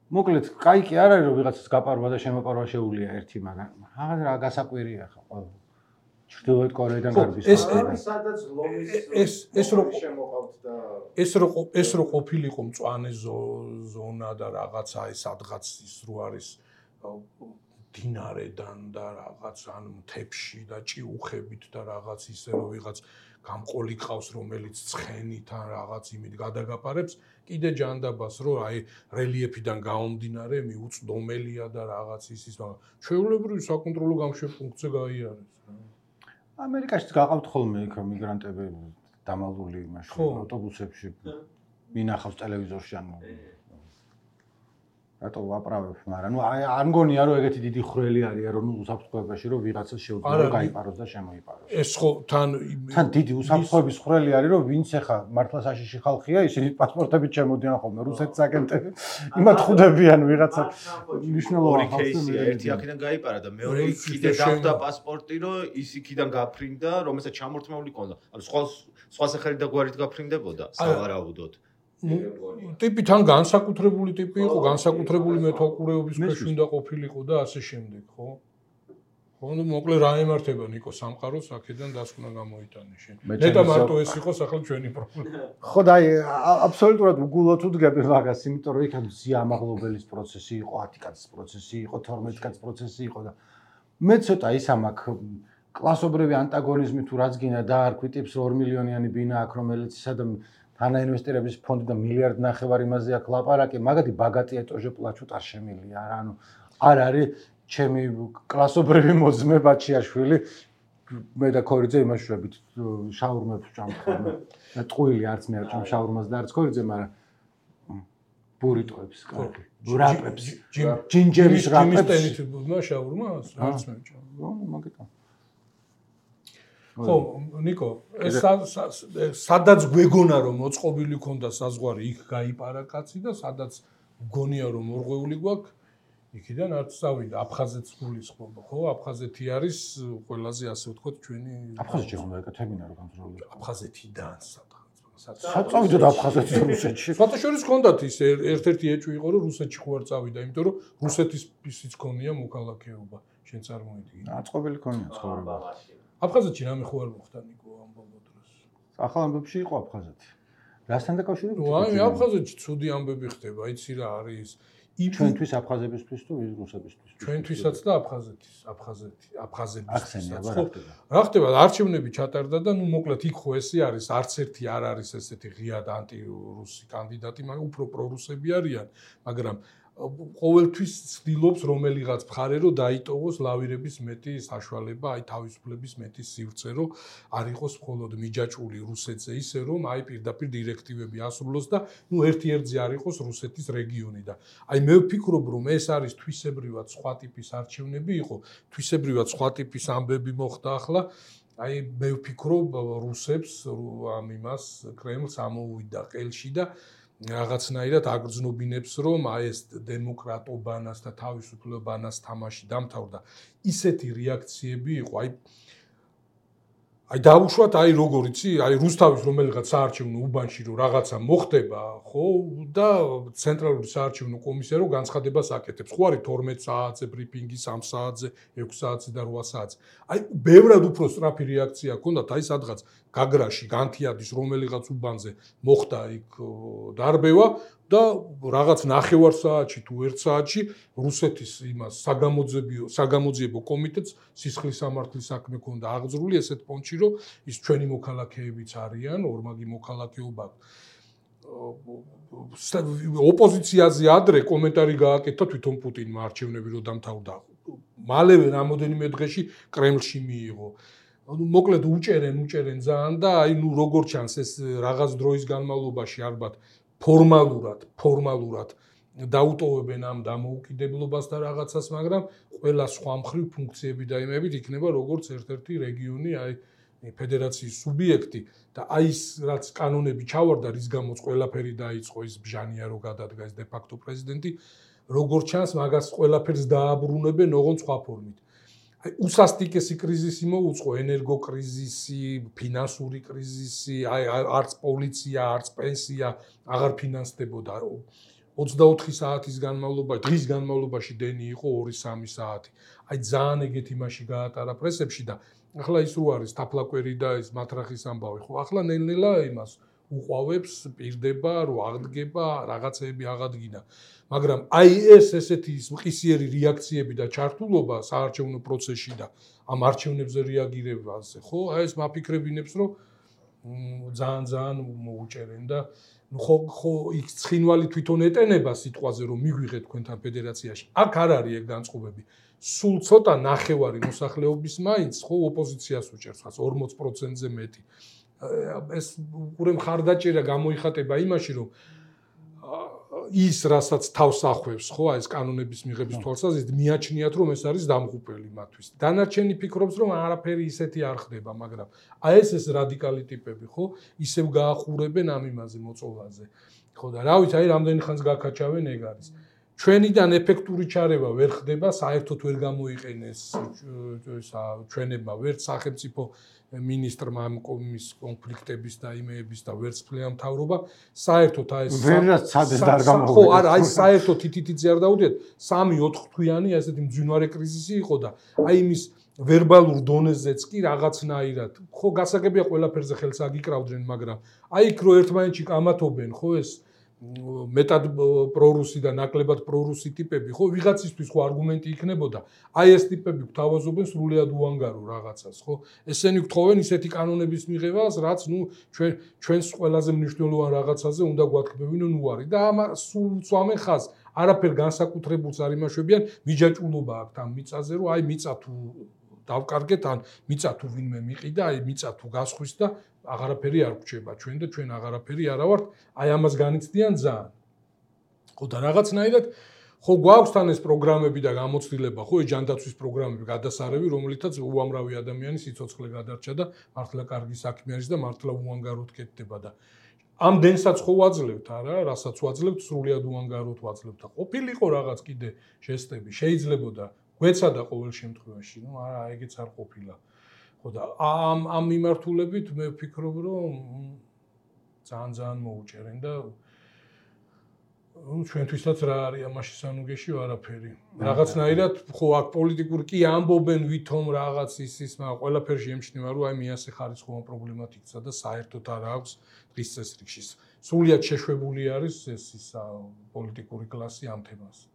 მოკლედ, კაი კი არ არის რომ ვიღაცას გაპარვა და შემოპარვა შეუულია ერთი, მაგრამ რაღაც რა გასაკვირია ხა ყველა. ჩრდილოეთ კორეიდან გარბის. სადაც ლომის შემოყავთ და ეს რო ყოფილიყო მწვანე ზონა და რაღაცა ეს სადღაც ის რო არის დინარედან და რაღაც ან მთებში და ჭიუხებით და რაღაც ისე რომ ვიღაც გამყოლი ყავს რომელიც ცხენით ან რაღაც იმით გადაგაპარებს კიდე ჯანდაბას რომ აი რელიეფიდან გამომდინარე მიუწდომელია და რაღაც ისის მაგრამ ჩვეულებრივი საკონტროლო გამშვებ-პუნქტზე გაიარეს ამერიკაშიც გაყავთ ხოლმე იქ მიგრანტები დამალული მაშინ ავტობუსებში მინახავს ტელევიზორში ანუ რატო ვაправებ, მაგრამ ნუ არ მგონია რომ ეგეთი დიდი ხრელი არის რომ უსაფრთხოებაში რომ ვიღაცა შეუძლია გაიპაროს და შემოიპაროს. ეს ხო თან დიდი უსაფრთხოების ხრელი არის რომ ვინც ახლა მართლა საშიში ხალხია, ისინი პასპორტებით შემოდიან ხოლმე რუსეთის აგენტები. იმათ ხვდებიან ვიღაცა მნიშვნელოვანი ხალხი. ერთი აქედან გაიპარა და მეორე კიდე დავდა პასპორტი რომ ის იქიდან გაფრინდა, რომელსაც ჩამორთმეული ყონდა. ანუ სხვა სახელით და გვარით გაფრინდებოდა სავარაუდოდ. ტიპი თან განსაკუთრებული ტიპი იყო, განსაკუთრებული მეთვალყურეობის ქვეშ უნდა ყოფილიყო და ასე შემდეგ, ხო? ხო, ნუ მოკლედ რა ემართება ნიკო სამყაროს აქედან დასკვნა გამოიტანე შენ. ნეტა მარტო ეს იყოს ახლა ჩვენი პრობლემა. ხო და აი აბსოლუტურად უგულოდ უდგები მაგას, იმიტომ რომ იქ ზიამაღლობელის პროცესი იყო, 10 კაცის პროცესი იყო, 12 კაცის პროცესი იყო და მე ცოტა ის ამაკ კლასობრივი ანტაგონიზმი თუ რაც გინდა დაარქვი ტიპს 2 მილიონიანი ბინა აქვს, რომელიც სადამ თანაინვესტირების ფონდი და მილიარდ ნახევარი იმაზე აქვს ლაპარაკი, მაგათი ბაგატია тоже плачут არ შემილია რა, ანუ არ არის ჩემი კლასობრივი მოძმე ბაჩიაშვილი მე და ქორიძე იმაშურებით შაურმებს ვჭამთ ხოლმე. და ტყუილი არც მე არ ვჭამ შაურმას და არც ქორიძე, მაგრამ ბურიტოებს კარგი. რაპებს. ჯინჯერის რაპებს. ჯიმის შაურმას არც მე ვჭამ. მაგიტო. ხო, ნიკო, სადაც გვეგონა რომ მოწყობილი ქონდა საზღვარი, იქ გაიპარა კაცი და სადაც გონია რომ მორღვეული გვაქვს, იქიდან არც წავიდა. აფხაზეთს გულისხმობა, ხო? აფხაზეთი არის ყველაზე ასე ვთქვათ ჩვენი აფხაზეთი უნდა ეკეთებინა რომ გამძლეობლია. აფხაზეთიდან საწავიდოთ აფხაზეთში რუსეთში. ფოტოშორის ჰქონდათ ის ერთ-ერთი ეჭვი იყო რომ რუსეთში ხო არ წავიდა, იმიტომ რომ რუსეთის ისიც ქონია მოქალაქეობა, შენ წარმოიდგინე. აწყობილი ქონია ცხოვრება. აფხაზეთში რამე ხო არ მოხდა ნიკო ამ ბოლო დროს. ახალ ამბებში იყო აფხაზეთი. რასთან დაკავშირებით? აი, აფხაზეთში ცუდი ამბები ხდება, იცი რა არის? ჩვენთვის აფხაზებისთვის თუ რუსებისთვის? ჩვენთვისაც და აფხაზებისთვის. რა ხდება? არჩევნები ჩატარდა და ნუ მოკლედ იქ ხო ესე არის, არც ერთი არ არის ესეთი ღიად ანტირუსი კანდიდატი, მაგრამ უფრო პრორუსები არიან, მაგრამ ყოველთვის ცდილობს რომელიღაც მხარე რომ დაიტოვოს ლავირების მეტი საშუალება, აი თავისუფლების მეტი სივრცე, რომ არ იყოს მხოლოდ მიჯაჭვული რუსეთზე ისე რომ აი პირდაპირ დირექტივები ასრულოს და ნუ ერთ-ერთზე არ იყოს რუსეთის რეგიონი და აი მე ვფიქრობ რომ ეს არის თვისებრივად სხვა ტიპის არჩევნები იყო, თვისებრივად სხვა ტიპის ამბები მოხდა ახლა აი მე ვფიქრობ რუსებს ამ იმას კრემლს ამოუვიდა ყელში და რაღაცნაირად აგრძნობინებს რომ აი ეს დემოკრატობანას და თავისუფლებანას თამაში დამთავრდა ისეთი რეაქციები იყო აი დავუშვათ აი როგორ იცი აი რუსთავის რომელიღაც საარჩევნო უბანში რომ რაღაცა მოხდება ხო და ცენტრალური საარჩევნო კომისია რომ განცხადებას აკეთებს ხო არის 12 საათზე ბრიფინგი 3 საათზე 6 საათზე და 8 საათზე აი ბევრად უფრო სწრაფი რეაქცია ჰქონდათ აი სადღაც გაგრაში განთიადის რომელიღაც უბანზე მოხდა იქ დარბევა და რაღაც 9 საათში თუ 1 საათში რუსეთის იმას საგამოძიებო კომიტეტს სისხლის სამართლის საქმე ქონდა აღძრული ესეთ პონჩი რომ ის ჩვენი მოქალაქეებიც არიან ორმაგი მოქალაქეობა ოპოზიციაზე ადრე კომენტარი გააკეთა თვითონ პუტინმა არჩევნები რომ დამთავრდა მალევე რამოდენიმე დღეში კრემლში მიიღო ანუ მოკლედ უჭერენ ძალიან და აი ნუ როგორ ჩანს ეს რაღაც დროის განმავლობაში ალბათ ფორმალურად დაუტოვებენ ამ დამოუკიდებლობას და რაღაცას, მაგრამ ყველა სხვა მხრივ ფუნქციები და იმებით იქნება როგორც ერთ-ერთი რეგიონი, აი ფედერაციის სუბიექტი და აი ის რაც კანონები ჩავარდა, რის გამოც ყველაფერი დაიწყო ის ბჟანია რო გადადგა ეს დე-ფაქტო პრეზიდენტი, როგორც ჩანს, მაგას ყველაფერს დააბრუნებენ ოღონდ სხვა ფორმით. აი უსასტიკესი კრიზისი მოუწყო, ენერგოკრიზისი, ფინანსური კრიზისი, აი არც პოლიცია, არც პენსია აღარ ფინანსდებოდა. 24 საათის განმავლობაში, დღის განმავლობაში დენი იყო 2-3 საათი. აი ძალიან ეგეთი მასში გაატარა პრესებში და ახლა ის რო არის თაფლაკვერი და ის მათრახის ამბავი, ხო, ახლა ნელ-ნელა იმას უყვავებს, პირდება, რომ აღდგება, რაღაცეები აღადგინა. მაგრამ აი ესეთი მყისიერი რეაქციები და ჩართულობა საარჩევნო პროცესში და ამ არჩევნებზე რეაგირებაზე, ხო, აი ეს მაფიქრებინებს, რომ ძალიან მოუჭერენ და ხო იქ ცხინვალი თვითონ ეტენება სიტყვაზე, რომ მიგვიღეთ თქვენთან ფედერაციაში. აქ არ არის ეგ განწყობები. სულ ცოტა ნახევარი მოსახლეობის მაინც ხო ოპოზიციას უჭერს, 40%-ზე მეტი. ეს უყურე მხარდაჭერა გამოიხატება იმაში, რომ ის რასაც თავს ახვევს, ხო, აი ეს კანონების მიღების თვალსაზრისით მიაჩნიათ, რომ ეს არის დამღუპელი მათთვის. დანარჩენი ფიქრობს, რომ არაფერი ისეთი არ ხდება, მაგრამ აი ეს რადიკალი ტიპები, ხო, ისევ გაახურებენ ამ იმაზე მოწოლაზე. ხო და რა ვიცი, აი რამდენი ხანს გაკაჩავენ ეგ არის. ჩვენიდან ეფექტური ჩარევა ვერ ხდება, საერთოდ ვერ გამოიყენეს ჩვენებმა ვერც სახელმწიფო მინისტრმა ამ კონფლიქტების და იმეების და ვერც ფლეამ მთავრობა საერთოდ აი ეს ვერაც ცადეს და არ გამოვიდა. ხო, არა, აი საერთოდ თითითიძე არ დაუდიათ 3-4 თვიანი ესეთი მძვინვარე კრიზისი იყო და აი იმის ვერბალურ დონეზეც კი რაღაცნაირად ხო გასაგებია ყველაფერზე ხელს აგიკრავდნენ, მაგრამ აი იქ რო ერთმანეთში კამათობენ, ხო ეს მეტად პრორუსი და ნაკლებად პრორუსი ტიპები, ხო, ვიღაცისთვის ხო არგუმენტი იქნებოდა. აი ეს ტიპები გვთავაზობენ სრულიად უანგარო რაღაცას, ხო? ესენი გთხოვენ ისეთი კანონების მიღებას, რაც ჩვენს ყველაზე მნიშვნელოვან რაღაცაზე უნდა გვათქმევინონ უარი და სულ უცვამენ ხაზს. არაფერ განსაკუთრებულს არ იმაშვებიან, მიჯაჭულობა აქვთ ამ მიწაზე, რომ აი მიწა თუ დავკარგეთ, ან მიწა თუ ვინმე მიყიდა, აი მიწა თუ გასხვის და აღარაფერი არ გვჭება ჩვენ და ჩვენ აღარაფერი არა ვართ, აი ამას განიცდიან ძალიან. ხო და რაღაცნაირად ხო გვაქვს თან ეს პროგრამები და გამოცდილება, ხო ეს ჯანდაცვის პროგრამები, გადასარევი, რომლითაც უამრავი ადამიანი სიცოცხლე გადარჩა და მართლა კარგი საქმე არის და მართლა უანგაროდ კეთდება და ამ დენსაც ხო ვაძლევთ, არა, რასაც ვაძლევთ, სრულიად უანგაროდ ვაძლევთ და ყოფილიყო რაღაც კიდე ჟესტები, შეიძლებოდა გვეცადა ყოველ შემთხვევაში, ნუ არა, ეგეც არ ყოფილა. ხო და ამ მიმართულებით მე ვფიქრობ, რომ ძალიან მოუჭერენ და ჩვენთვისაც რა არის ამაში სანუგეში არაფერი. რაღაცნაირად ხო აქ პოლიტიკურ კი ამბობენ ვითომ რაღაც ის, მაგრამ ყველაფერში ემჩნევა, რომ აი მეასე ხარისხოვან პრობლემად იქცა და საერთოდ არ აქვს დღის წესრიგში. სრულიად შეშვებული არის ის პოლიტიკური კლასი ამ თემას.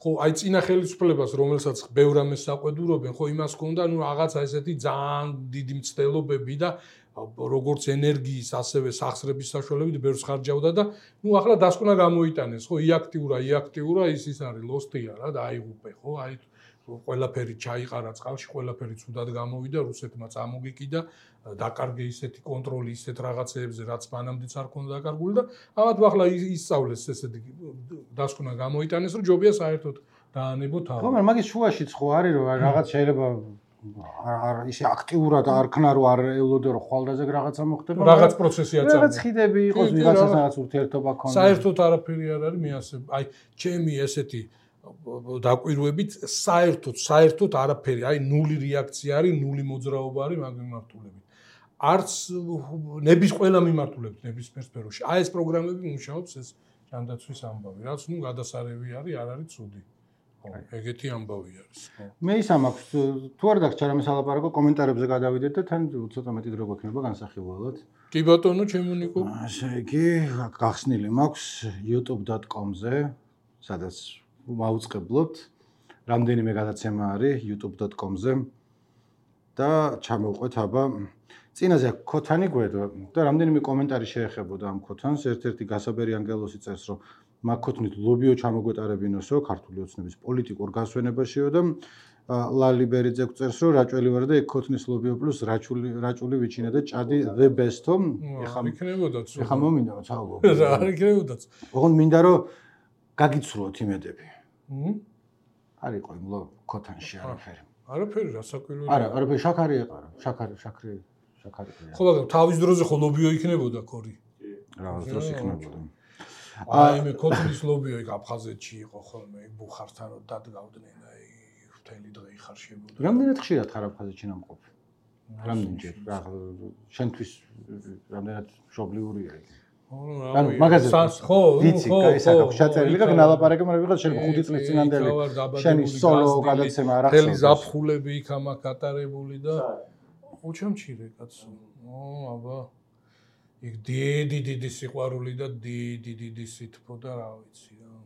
ხო, აი წინა ხელისუფლებას, რომელსაც ბევრ ამას საყვედურობენ, ხო იმას ჰქონდა, ნუ რაღაცა ესეთი ძალიან დიდი მცდელობები და როგორც ენერგიის, ასევე სახსრების საშუალებით ბევრს ხარჯავდა და ნუ ახლა დასკვნა გამოიტანეს, ხო, იაქტიურა ის არის ლოსტია რა და აიღუპე, ხო, აი ყველაფერი ჩაიყარა წყალში, ყველაფერი ცუდად გამოვიდა, რუსეთმა წამოგიკიდა, დაკარგე ისეთი კონტროლი ისეთ რაღაცეებზე, რაც მანამდეც არ ქონდა დაკარგული და ამათ ახლა ისწავლეს ესეთი დასკვნა გამოიტანეს, რომ ჯობია საერთოდ დაანებო თავი. ხო, მაგრამ მაგის შუაშიც ხო არის, რომ რაღაც შეიძლება არ ისე აქტიურად არ ქნა რომ არ ელოდე რომ ხვალდაზე რაღაცა მოხდება. რაღაც პროცესი აწარმოა. რაღაც ხიდები იყოს, ვიღაცას რაღაც ურთიერთობა ქონდეს. საერთოდ არაფერი არ არის, მე ასე აი ჩემი ესეთი დაკვირვებით საერთოდ არაფერი, აი ნული რეაქცია არის, ნული მოძრაობა არის მაგ მიმართულებით. არც ნების ყველა მიმართულებით, ნებისმიერ სფეროში. აი ეს პროგრამები მუშაობს ეს ჯანდაცვის ამბავი, რაც ნუ გადასარევი არის, არ არის ცუდი. ხო, ეგეთი ამბავი არის. მე ის ამაქვს, თუ არ დაგჭირა რამე სალაპარაკო, კომენტარებზე გადავიდეთ და თან ცოტა მეტი დრო გვექნება განსახილველად. კი ბატონო, ჩემო ნიკო. ასე იგი, გახსნილი მაქვს youtube.com-ზე, სადაც მაუწყებლობთ. რამდენიმე გადაცემა არის youtube.com-ზე და ჩამოვყვეთ აბა წინაზე ქოთანი გვედვა და რამდენიმე კომენტარი შეეხებოდა ამ ქოთანს. ერთ-ერთი გასაბერი ანგელოსი წერს, რომ მაგ ქოთნით ლობიო ჩამოგვეტარებინოსო ქართული ოცნების პოლიტიკურ გასვენებაშიო და ლალი ბერიძე წერს, რომ რაჭველი ვარ და ეგ ქოთნის ლობიო პლუს რაჭული ვიჩინა და ჭადი the best-ო. ეხა მომინდა ცალო. არ იქნებოდაც. ოღონდ მინდა რომ გაგიცრუოთ იმედები. არ იყო იმ ქოთანში არაფერი. არაფერი რა საკვირველი. არა, არაფერი შაქარი ეყარა. შაქარი. ხო, მაგრამ თავის დროზე ხო ლობიო იქნებოდა ქორი. რაღაც დროს იქნებოდა. აი მე ქოთნის ლობიო იქ აფხაზეთში იყო ხოლმე, ბუხართან დადგავდნენ, აი მთელი დღე იხარშებოდა. რამდენად ხშირად ხარ აფხაზეთში ნამყოფი? რამდენჯერ? შენთვის რამდენად მშობლიურია იქ? ანუ მაგაზე ხო, ვიცი, კაი ჩაწერილი და ნალაპარაკე, მაგრამ ვიღაც შენ 5 წლის წინანდელი შენი სოლო გადაცემა არ ახსოვს. თელი ზაფხულები იქ ამაკ ატარებული და უჩამჩირე კაცო. აბა იქ დიდი სიყვარული და დიდი სითბო და რა ვიცი რა.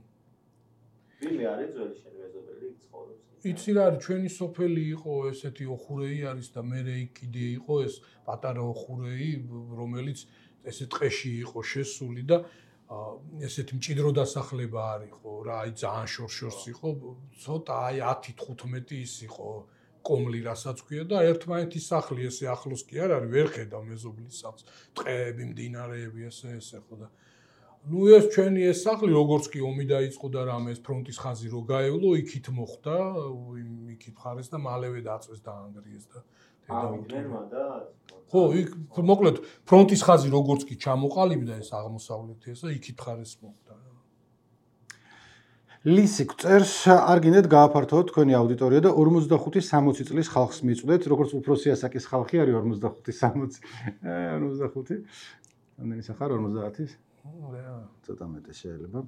ვინმე არის ძველი შენი მეზობელი იქ ცხოვრობს? იცი რა არის, ჩვენი სოფელი იყო ესეთი ოხურეი არის და მე იქ კიდე იყო ეს პატარა ოხურეი, რომელიც ესე ტყეში იყო შესული და ესეთი მჭიდრო დასახლება არის ხო რა, აი ძალიან შორს იყო, ცოტა აი 10-15 ის იყო კომლი რასაც ქვია და ერთმანეთის სახლი ესე ახლოს კი არ არის, ვერ ხედავ მეზობლის სახლს, ტყეები, მდინარეები ესე ხო და ნუ ეს ჩვენი ეს სახლი როგორც კი ომი დაიწყო და რამე ეს ფრონტის ხაზი რო გაევლო, იქით მოხდა, იქით ხარეს და მალევე დაწვეს და ანგრიეს და ხო, იქ მოკლედ ფრონტის ხაზი როგორც კი ჩამოყალიბდა ეს აღმოსავლეთი ესა იქით ხარეს მოხდა. ლისი წერს, არ გინდათ გააფართოვოთ თქვენი აუდიტორია და 45-60 წლის ხალხს მიწვდეთ, როგორც უფროსი ასაკის ხალხი არის 45-60. 45. რამდენი სახარ 50-ის? ცოტა მეტი შეიძლება.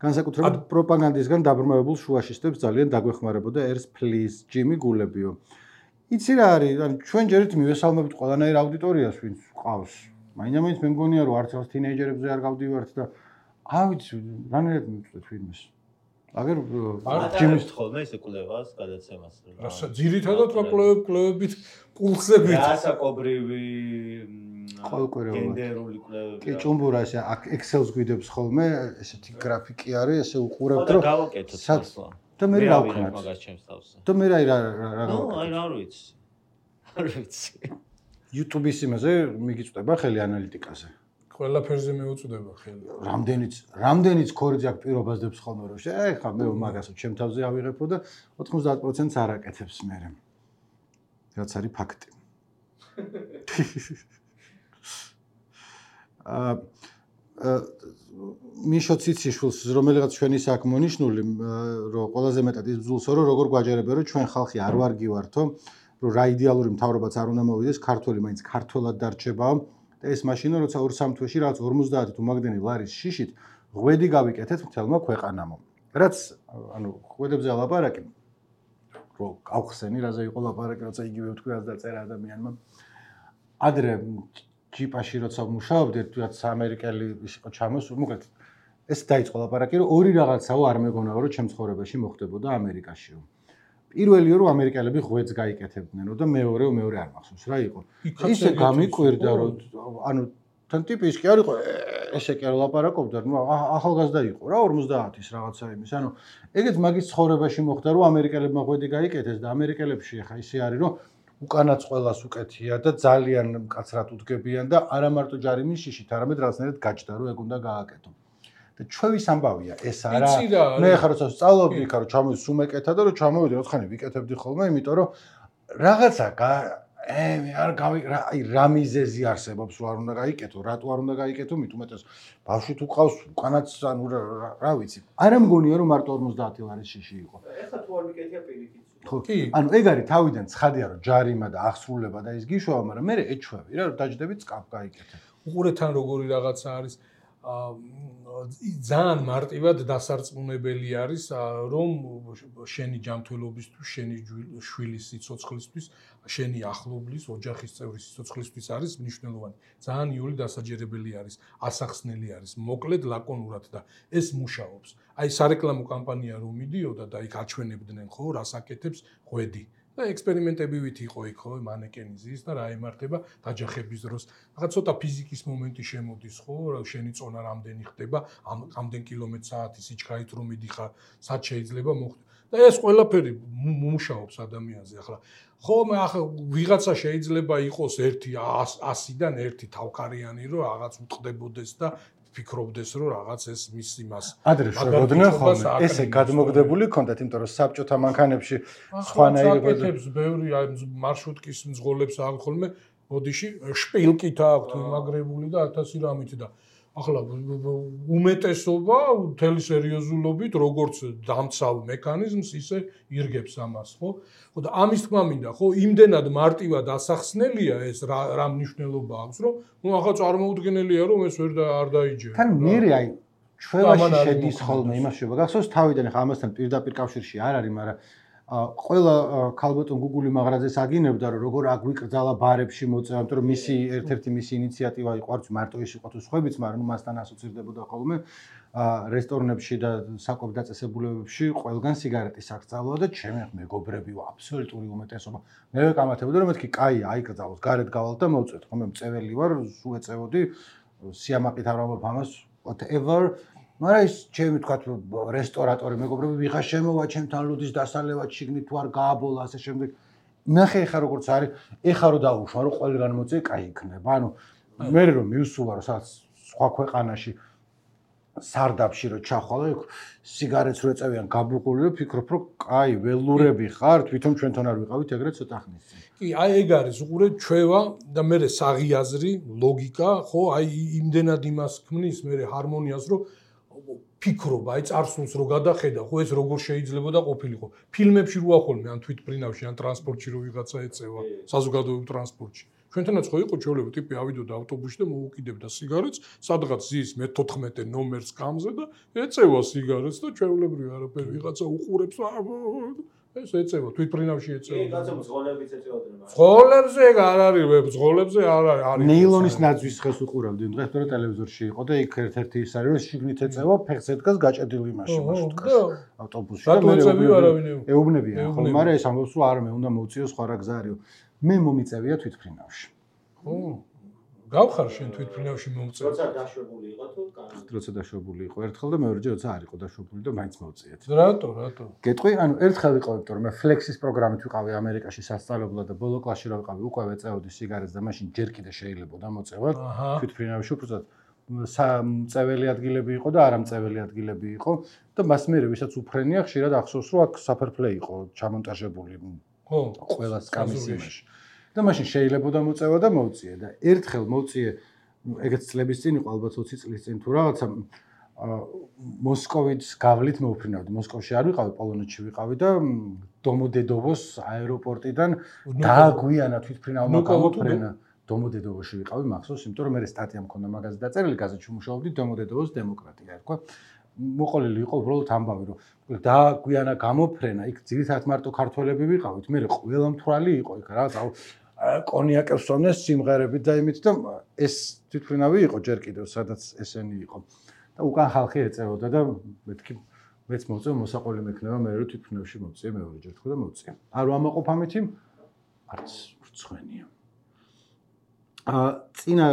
განსაკუთრებით პროპაგანდისგან დაბრმავებულ შუაშისტებს ძალიან დაგვეხმარებოდა er's please Jimmy გულებიო. იცი რა არის, ანუ ჩვენ ჯერით მივესალმებით ყველანაირ აუდიტორიას, ვინც ყავს. მაინც მე მგონია რომ არც თინეიჯერებზე არ გავდივართ და ავიც რანერად მივწვეთ ფილმს. აგერ ჯიმის ხოლმე ესე კვლევას გადაცემას. რასაც ძირითადად კვლევებით პულსები. რასაკობრივი გენდერული კვლევები. კი, ჭუმბურა ესე Excel-ს გვიდებს ხოლმე, ესეთი გრაფიკი არის, ესე უყურებთ რომ გავაკეთოთ ახლა. და მე რა ვქნათ? მაგას ჩემს თავზე. და მე რა ნუ, აი რა ვიცი. არ ვიცი. YouTube-ის იმაზე მიგიწვდება ხელი ანალიტიკაზე. ყველაფერზე მეუწვდება ხელი. რამდენიც ქორიძე აქ პირობას დებს ხოლმე რომ ხა მე მაგასო ჩემ თავზე ავიღებო და 90%-ს არ აკეთებს მე. რაც არის ფაქტი. მიშო ციციშვილს რომელიღაც ჩვენი საქმე მონიშნული რომ ყველაზე მეტად ის ბძულსო რომ როგორ გვაჯერებენ რომ ჩვენ ხალხი არ ვარგივართო რომ რა იდეალური მთავრობაც არ უნდა მოვიდეს ქართველი მაინც ქართველად დარჩებაო და ეს მაშინა როცა 2-3 თვეში რაღაც 50 თუ მაგდენი ლარის შიშით ღვედი გავიკეთეთ მთელმა ქვეყანამ რაც ანუ ღვედებზე ლაპარაკი რომ გავხსენი რაზე იყო ლაპარაკი როცა იგივე თქვი რაც დაწერა ადამიანმა ადრე ჯიპაში როცა მუშაობდით რაც ამერიკელი ის იყო ჩამოსული მოკლედ ეს დაიწყო ლაპარაკი რომ ორი რაღაცაო არ მეგონაო რომ ჩემ ცხოვრებაში მოხდებოდა ამერიკაშიო პირველიო რომ ამერიკელები ღვედს გაიკეთებდნენ და მეორე არ მახსოვს რა იყო ისე გამიკვირდა რომ ანუ თან ტიპის კი არ იყო ესე კი არ ლაპარაკობდა ნუ ახალგაზრდა იყო რა 50-ის რაღაცა იმის ანუ ეგეც მაგის ცხოვრებაში მოხდა რომ ამერიკელებმა ღვედი გაიკეთეს და ამერიკელებში ხა ისე არის რომ უკანაც ყველას უკეთია და ძალიან მკაცრად უდგებიან და არა მარტო ჯარიმის შიშით არამედ რაღაცნაირად გაჭდა რომ ეგ უნდა გააკეთო და ჩვევის ამბავია ეს არა მე ხარ როცა სწავლობდი იქა რომ ჩამოვიდი სუმეკეთა და რომ ჩამოვიდი ოთხანი ვიკეთებდი ხოლმე იმიტომ რომ რაღაცა მე არ აი რა მიზეზი არსებობს რომ არ უნდა გაიკეთო რატო არ უნდა გაიკეთო მით უმეტეს ბავშვი თუ ყავს უკანაც ანუ რა ვიცი არა მგონია რომ მარტო 50 ლარის შიში იყო ეხლა თუ არ მიკეთია პირიქით კი ანუ ეგ არის თავიდან ცხადია რომ ჯარიმა და აღსრულება და ის გიშოვა მაგრამ მე ეჩვევი რა რომ დაждები წკაფ გაიკეთე უყურეთან როგორი რაღაცა არის ძალიან მარტივად დასარწმუნებელი არის რომ შენი ჯანმრთელობისთვის, შენი შვილის სიცოცხლისთვის, შენი ახლობლის, ოჯახის წევრის სიცოცხლისთვის არის მნიშვნელოვანი. ძალიან იული დასაჯერებელი არის, ასახსნელი არის, მოკლედ ლაკონურად და ეს მუშაობს. აი სარეკლამო კამპანია რომ მიდიოდა და იქ აჩვენებდნენ ხო, რას აკეთებს ღვედი. და ექსპერიმენტებივით იყო იქ ხო მანეკენიზის და რა ემართება დაჯახების დროს. რაღაც ცოტა ფიზიკის მომენტი შემოდის ხო, შენი წონა რამდენი ხდება, ამდენ კილომეტრ/საათი სიჩქარით რომ მიდიხარ, სად შეიძლება მოხდეს. და ეს ყველაფერი მუშაობს ადამიანზე. ახლა ხომ ახლა ვიღაცა შეიძლება იყოს 100-დან 1 თავქარიანი რომ რაღაც უტყდებოდეს და ფიქრობდეს რომ რაღაც ეს მის იმას ადრე შეგოდნენ ხოლმე ესე გადმოგდებული კონდათ იმიტომ რომ საბჭოთა მანქანებში სხვანაირად აკეთებს ბევრი აი მარშრუტკის მძღოლებს აქვს ხოლმე ბოდიში შპილკით აქვს იმაგრებული და 1000 რამით და ახლა უმეტესობა მთელი სერიოზულობით როგორც დამცავ მექანიზმს ისე ირგებს ამას ხო ხო და ამის თქმა მინდა ხო იმდენად მარტივად ასახსნელია ეს რა მნიშვნელობა აქვს რომ ნუ ახლა წარმოუდგენელია რომ ეს ვერ არ დაიჯერა თან მერე აი ჩვენაში შედის ხოლმე იმაში გახსოვს თავიდან ხა ამასთან პირდაპირ კავშირში არ არის მაგრამ ყველა ქალბატონ გუგული მაღრაძეს აგინებდა რომ როგორ აგვიკრძალა ბარებში მოწევა, იმიტომ რომ მისი ერთ-ერთი მისი ინიციატივა იყო არც მარტო ის იყო თუ სხვებიც, მაგრამ მასთან ასოცირდებოდა ხოლმე რესტორნებში და საკვებ დაწესებულებებში ყველგან სიგარეტის აკრძალვა და ჩემი მეგობრები აბსოლუტური უმეტესობა მე ვეკამათებოდი რომ მეთქი კაი აიკრძალოს, გარეთ გავალ და მოვწვეთ, ხოლმე მწეველი ვარ, სულ ეწევოდი სიამაყით არ ვამბობ ამას whatever მაგრამ ის ჩემი თქვა რესტორატორი მეგობრები ვიღა შემოვა ჩემთან ლუდის დასალევად შიგნით თუ არ გააბოლა ასე შემდეგ ნახე ხა როგორც არის ეხა რო დაუშვა რომ ყველგან მოწე კაი იქნება ანუ მე რომ მივსულა რომ სადაც სხვა ქვეყანაში სარდაფში რო ჩახვალა იქ სიგარეტს რო ეწევიან გაბუყული რომ ფიქრობ რომ კაი ველურები ხარ თვითონ ჩვენთან არ ვიყავით ეგრეთ ცოტა ხნის წინ კი აი ეგ არის უყურე ჩვევა და მე საღიაზრი ლოგიკა ხო აი იმდენად იმას ქმნის მე ჰარმონიას რომ ფიქრობა, აი წარსულს რო გადახედა, ხო ეს როგორ შეიძლება და ყოფილიყო. ფილმებში რო ახოლმე ან თვითმფრინავში, ან ტრანსპორტში რო ვიღაცა ეწევა, საზოგადოებრივ ტრანსპორტში. ჩვენთანაც ხო იყო ჩვეულებრივ ტიპი ავიდოდა ავტობუსში და მოუკიდებდა სიგარეტს, სადღაც ზის მე-14 ნომერს კამზე და ეწევა სიგარეტს და ჩვეულებრივ არაფერი ვიღაცა უყურებს ეს ეწევა, თვითფრინავში ეწევა. კი, კაცო მძღოლებიც ეწევოდნენ. მძღოლებზე არ არის, მძღოლებზე არ არის. ნეილონის ნაძვის ხეს უყურავდი დღეს თორე ტელევიზორში იყო და იქ ერთ-ერთი ის არის რომ შიგნით ეწევა ფეხს ედგას გაჭედილი მაშინ მარშრუტკას ავტობუსში და მე ეუბნებიან ხო მაგრამ ეს ამბობს რომ არა მე უნდა მოვწიო სხვა რა გზა არისო მე მომიწევია თვითფრინავში ხო გავხარ შენ თვითფრინავში მომწევ როცა დაშვებული იყო თუ კანონი როცა დაშვებული იყო ერთხელ და მეორეჯერ როცა არ იყო დაშვებული და მაინც მოვწიეთ რატო გეტყვი ანუ ერთხელ იყო იმიტომ რომ მე ფლექსის პროგრამით ვიყავი ამერიკაში სასწავლებლად და ბოლო კლასში რა ვიყავი უკვე ვეწეოდი სიგარეტს და მაშინ ჯერ კიდე შეიძლებოდა მოწევა თვითფრინავში უბრალოდ სამწეველი ადგილები იყო და არამწეველი ადგილები იყო და მას მერე ვისაც უფრენია ხშირად ახსოვს რომ აქ საფერფლე იყო ჩამონტაჟებული ხო ყველა სკამის იმაში და მაშინ შეიძლებოდა მოწევა და მოვწიე და ერთხელ მოვწიე ეგეც წლების წინ იყო ალბათ 20 წლის წინ თუ რაღაცა მოსკოვის გავლით მოვფრინავდი მოსკოვში არ ვიყავი პოლონეთში ვიყავი და დომოდედოვოს აეროპორტიდან დააგვიანა თვითფრინავმა გამოფრენა დომოდედოვოში ვიყავი მახსოვს იმიტომ რომ მე სტატია მქონდა მაგაზე დაწერილი გაზეთში მუშაობდი დომოდედოვოს დემოკრატია ერქვა მოყოლილი იყო უბრალოდ ამბავი რომ დააგვიანა გამოფრენა იქ ძირითადად მარტო ქართველები ვიყავით მე ყველა მთვრალი იყო იქ რაღაც კონიაკებს ვსვამდნენ სიმღერებით და იმით და ეს თვითფრინავი იყო ჯერ კიდევ სადაც ესენი იყო და უკან ხალხი ეწევოდა და მეთქი მეც მოვწევ მოსაყოლი მექნება მე რომ თვითფრინავში მოვწიე მეორეჯერ თქო და მოვწიე არ ვამაყოფ ამითი არც რცხვენია წინა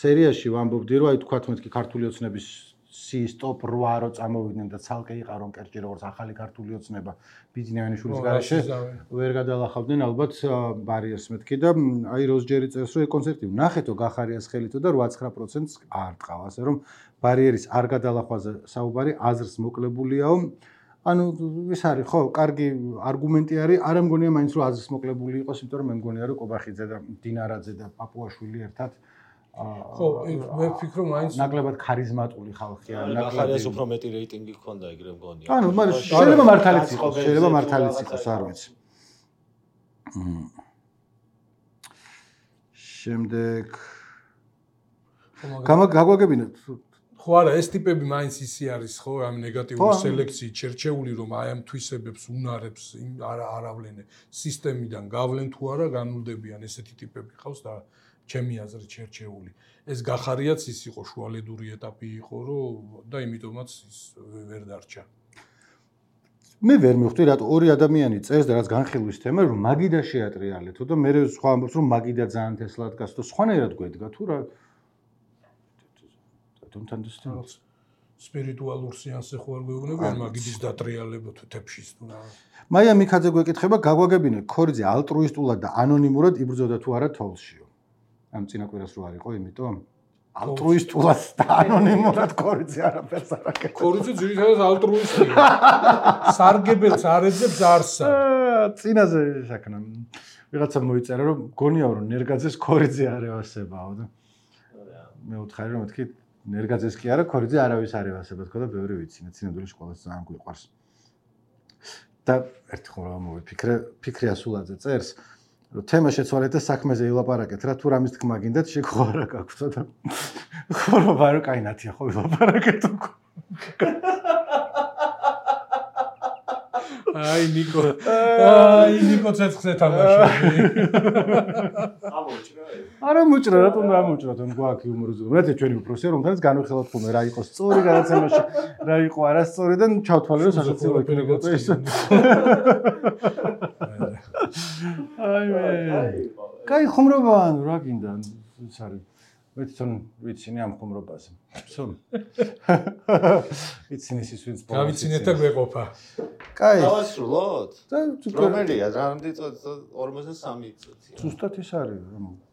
სერიაში ვამბობდი რომ აი თქვათ მეთქი ქართული ოცნების სის ტოპ 8 რო წამოვიდნენ და ცალკე იყარო კერჭი როგორც ახალი ქართული ოცნება ბიძინავიანიშვილის გარეშე ვერ გადალახავდნენ ალბათ ბარიერს მეთქი და აი როზჯერი წერს რომ კონცერტი ნახეთო გახარიას ხელითო და 8-9%-ს არ ტყავ ასე რომ ბარიერის არ გადალახვაზე საუბარი აზრს მოკლებულია ანუ ის არის ხო კარგი არგუმენტი არის არ მგონია მაინც რომ აზრს მოკლებული იყოს იმიტომ რომ მე მგონია რომ კობახიძე და დინარაძე და პაპუაშვილი ერთად ხო მე ვფიქრობ მაინც ნაკლებად ხარიზმატული ხალხია ნაკლებად უფრო მეტი რეიტინგი ჰქონდა ეგრე მგონია ანუ მაგრამ შეიძლება მართალიც იყოს შეიძლება მართალიც იყოს არ ვიცი შემდეგ გაგვაგებინოთ ხო არა ეს ტიპები მაინც ისი არის ხო ამ ნეგატიური სელექციით შერჩეული რომ აი ამ თვისებებს უნარებს არავლენ სისტემიდან გავლენ თუ არა განულდებიან ესეთი ტიპები ხავს და ჩემი აზრით შერჩეული ეს გახარიაც ის იყო შუალედური ეტაპი იყო რომ და იმიტომაც ის ვერ დარჩა მე ვერ მივხვდი რატო ორი ადამიანი წერს და რაც განხილვის თემა რომ მაგიდა შეატრიალეთო და მე სხვა ამბობს რომ მაგიდა ძალიან თესლად გასცო სხვანაირად გვედგა თუ რა don't understand სპირიტუალურ სეანსზე ხო არ გვეუბნებიან მაგიდის დატრიალება თუ თეფშის თუ რა მაია მიქაძე გვეკითხება გაგვაგებინე ქორიძე ალტრუისტულად და ანონიმურად იბრძოდა თუ არა თოლშიო ამ წინაკვირას რო არ იყო იმიტომ ალტრუისტულად და ანონიმურად ქორიძე არაფერს არ აკეთებს ქორიძე ძირითადად ალტრუისტია სარგებელს არ ეძებს არსა წინაზე შაქნა ვიღაცა მოიწერა რომ გონიაო რომ ნერგაძეს ქორიძე არ ევასებაო და მე ვთხარი რომ მეთქი ნერგაძეს კი არა ქორიძე არავის არ ევასება თქო და ბევრი ვიცინე ცინებულის სკოლას ძალიან გვიყვარს და ერთი ხომ მოვიფიქრე ფიქრი ასულაძე წერს რომ თემა შეცვალეთ და საქმეზე ილაპარაკეთ რა თუ რამის თქმა გინდათ შეგო არა გაქვსო და ხო ბარო კაინათია ხო ილაპარაკეთ უკვე აი ნიკო ცეცხლზე თამაში არა მოჭრა რატომ რა მოჭრა თქო გვაქვს იუმორიზმი რა ჩვენი უფროსია რომთანაც განვიხილოთ ხოლმე რა იყო სწორი გადაცემაში რა იყო არასწორი და ჩავთვალე რომ სასაცილო იქნებოდა ეს აი მე კაი ხუმრობა ანუ რა გინდა ის არის მე თვითონ ვიცინე ამ ხუმრობაზე всё ვიცინე ის ვინც გავიცინეთ და გვეყოფა კაი დავასრულოთ რომელია რამდენი წუთი 43 წუთია ზუსტად ის არის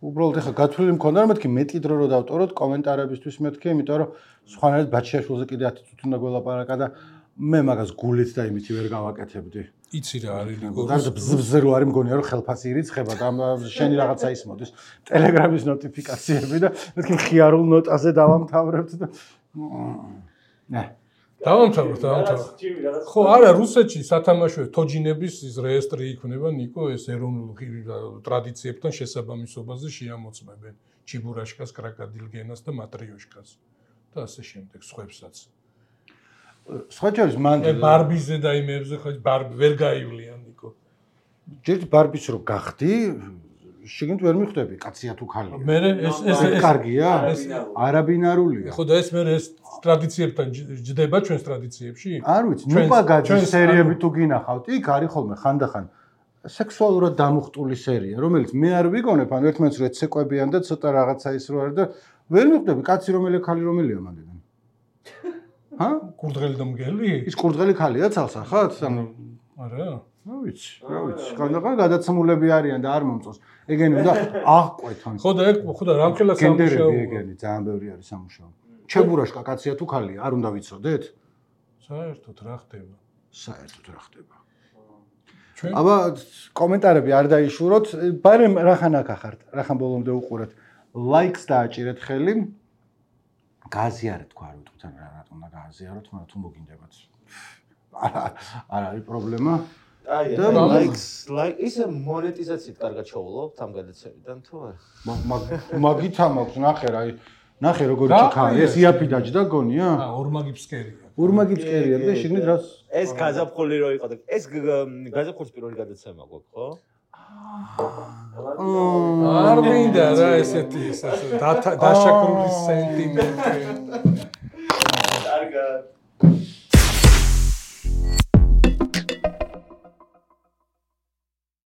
უბრალოდ ეხა გათვლილი მქონდა რომ მეთქი მეტი დრო რო დავტოროთ კომენტარებისთვის მეთქი იმიტომ რომ სხვანაირად ბაჩიაშვილზე კიდე 10 წუთი უნდა გველაპარაკა და მე მაგას გულით და იმითი ვერ გავაკეთებდი იცი რა არის ნიკო გარდა ბზბზე რო არის მგონია რომ ხელფასი ირიცხება და შენი რაღაცა ის მოდის ტელეგრამის ნოტიფიკაციები და მეთქი ხიარულ ნოტაზე დავამთავრებთ და დავამთავროთ ხო არა რუსეთში სათამაშო თოჯინების ის რეესტრი იქნება ნიკო ეს ეროვნულ ტრადიციებთან შესაბამისობაზე შეამოწმებენ ჩიბურაშკას კრაკადილგენას და მატრიოშკას და ასე შემდეგ სხვებსაც სხვა ჯერს მანდ ბარბიზე და იმებზე ხო ბარბი ვერ გაივლიან ნიკო ჯერ ბარბის რო გახდი, შიგნით ვერ მიხვდები, კაცია თუ ხალია. მე ეს კარგია? არაბინარულია. ხო და ეს მე ეს ტრადიციებთან ჯდება ჩვენს ტრადიციებში? არ ვიცი, ნუპაგაძის სერიები თუ გინახავთ, იქ არის ხოლმე ხანდახან სექსუალურად დამუხტული სერია, რომელიც მე არ ვიგონებ, ან ერთმანეთს რო ეცეკვებიან და ცოტა რაღაცა ის რო არის და ვერ მიხვდები, კაცი რომელია, ხალი რომელია მანდიდან. ჰა? კურდღელი და მგელი? ის კურდღელი ხალია ცალსახად? ანუ არა. რა ვიცი. ხანდახან გადაცმულები არიან და არ მომწონს. ეგენი უნდა აღყვეთონ. ხო და რამხელა გენდერები სამუშაო. ეგენი ძალიან ბევრი არის სამუშაო. ჩებურაშკა კაცია თუ ხალია, არ უნდა ვიცოდეთ? საერთოდ რა ხდება? საერთოდ რა ხდება? ჩვენ აბა კომენტარები არ დაიშუროთ, ბარემ რახან აქ ახართ, რახან ბოლომდე უყურეთ. ლაიქს დააჭირეთ ხელი. გააზიარეთ თქვა არ ვიტყვით ან რა რატომ უნდა გააზიაროთ, მაგრამ თუ მოგინდებათ. არ არის პრობლემა. აი, და ლაიქ ისე მონეტიზაციით კარგად შოულობთ ამ გადაცემიდან თუ არა? მაგით ამაქვს, ნახე როგორი ჩიქაა, ეს იაფი დაჯდა გონია? ორმაგი ფსკერია. ორმაგი ფსკერია და შიგნით რას? ეს გაზაფხული რო იყო და ეს გაზაფხულის პირველი გადაცემა გვაქვს, ხო? არ მინდა რა ესეთი დაშაკრული სენტიმენტი.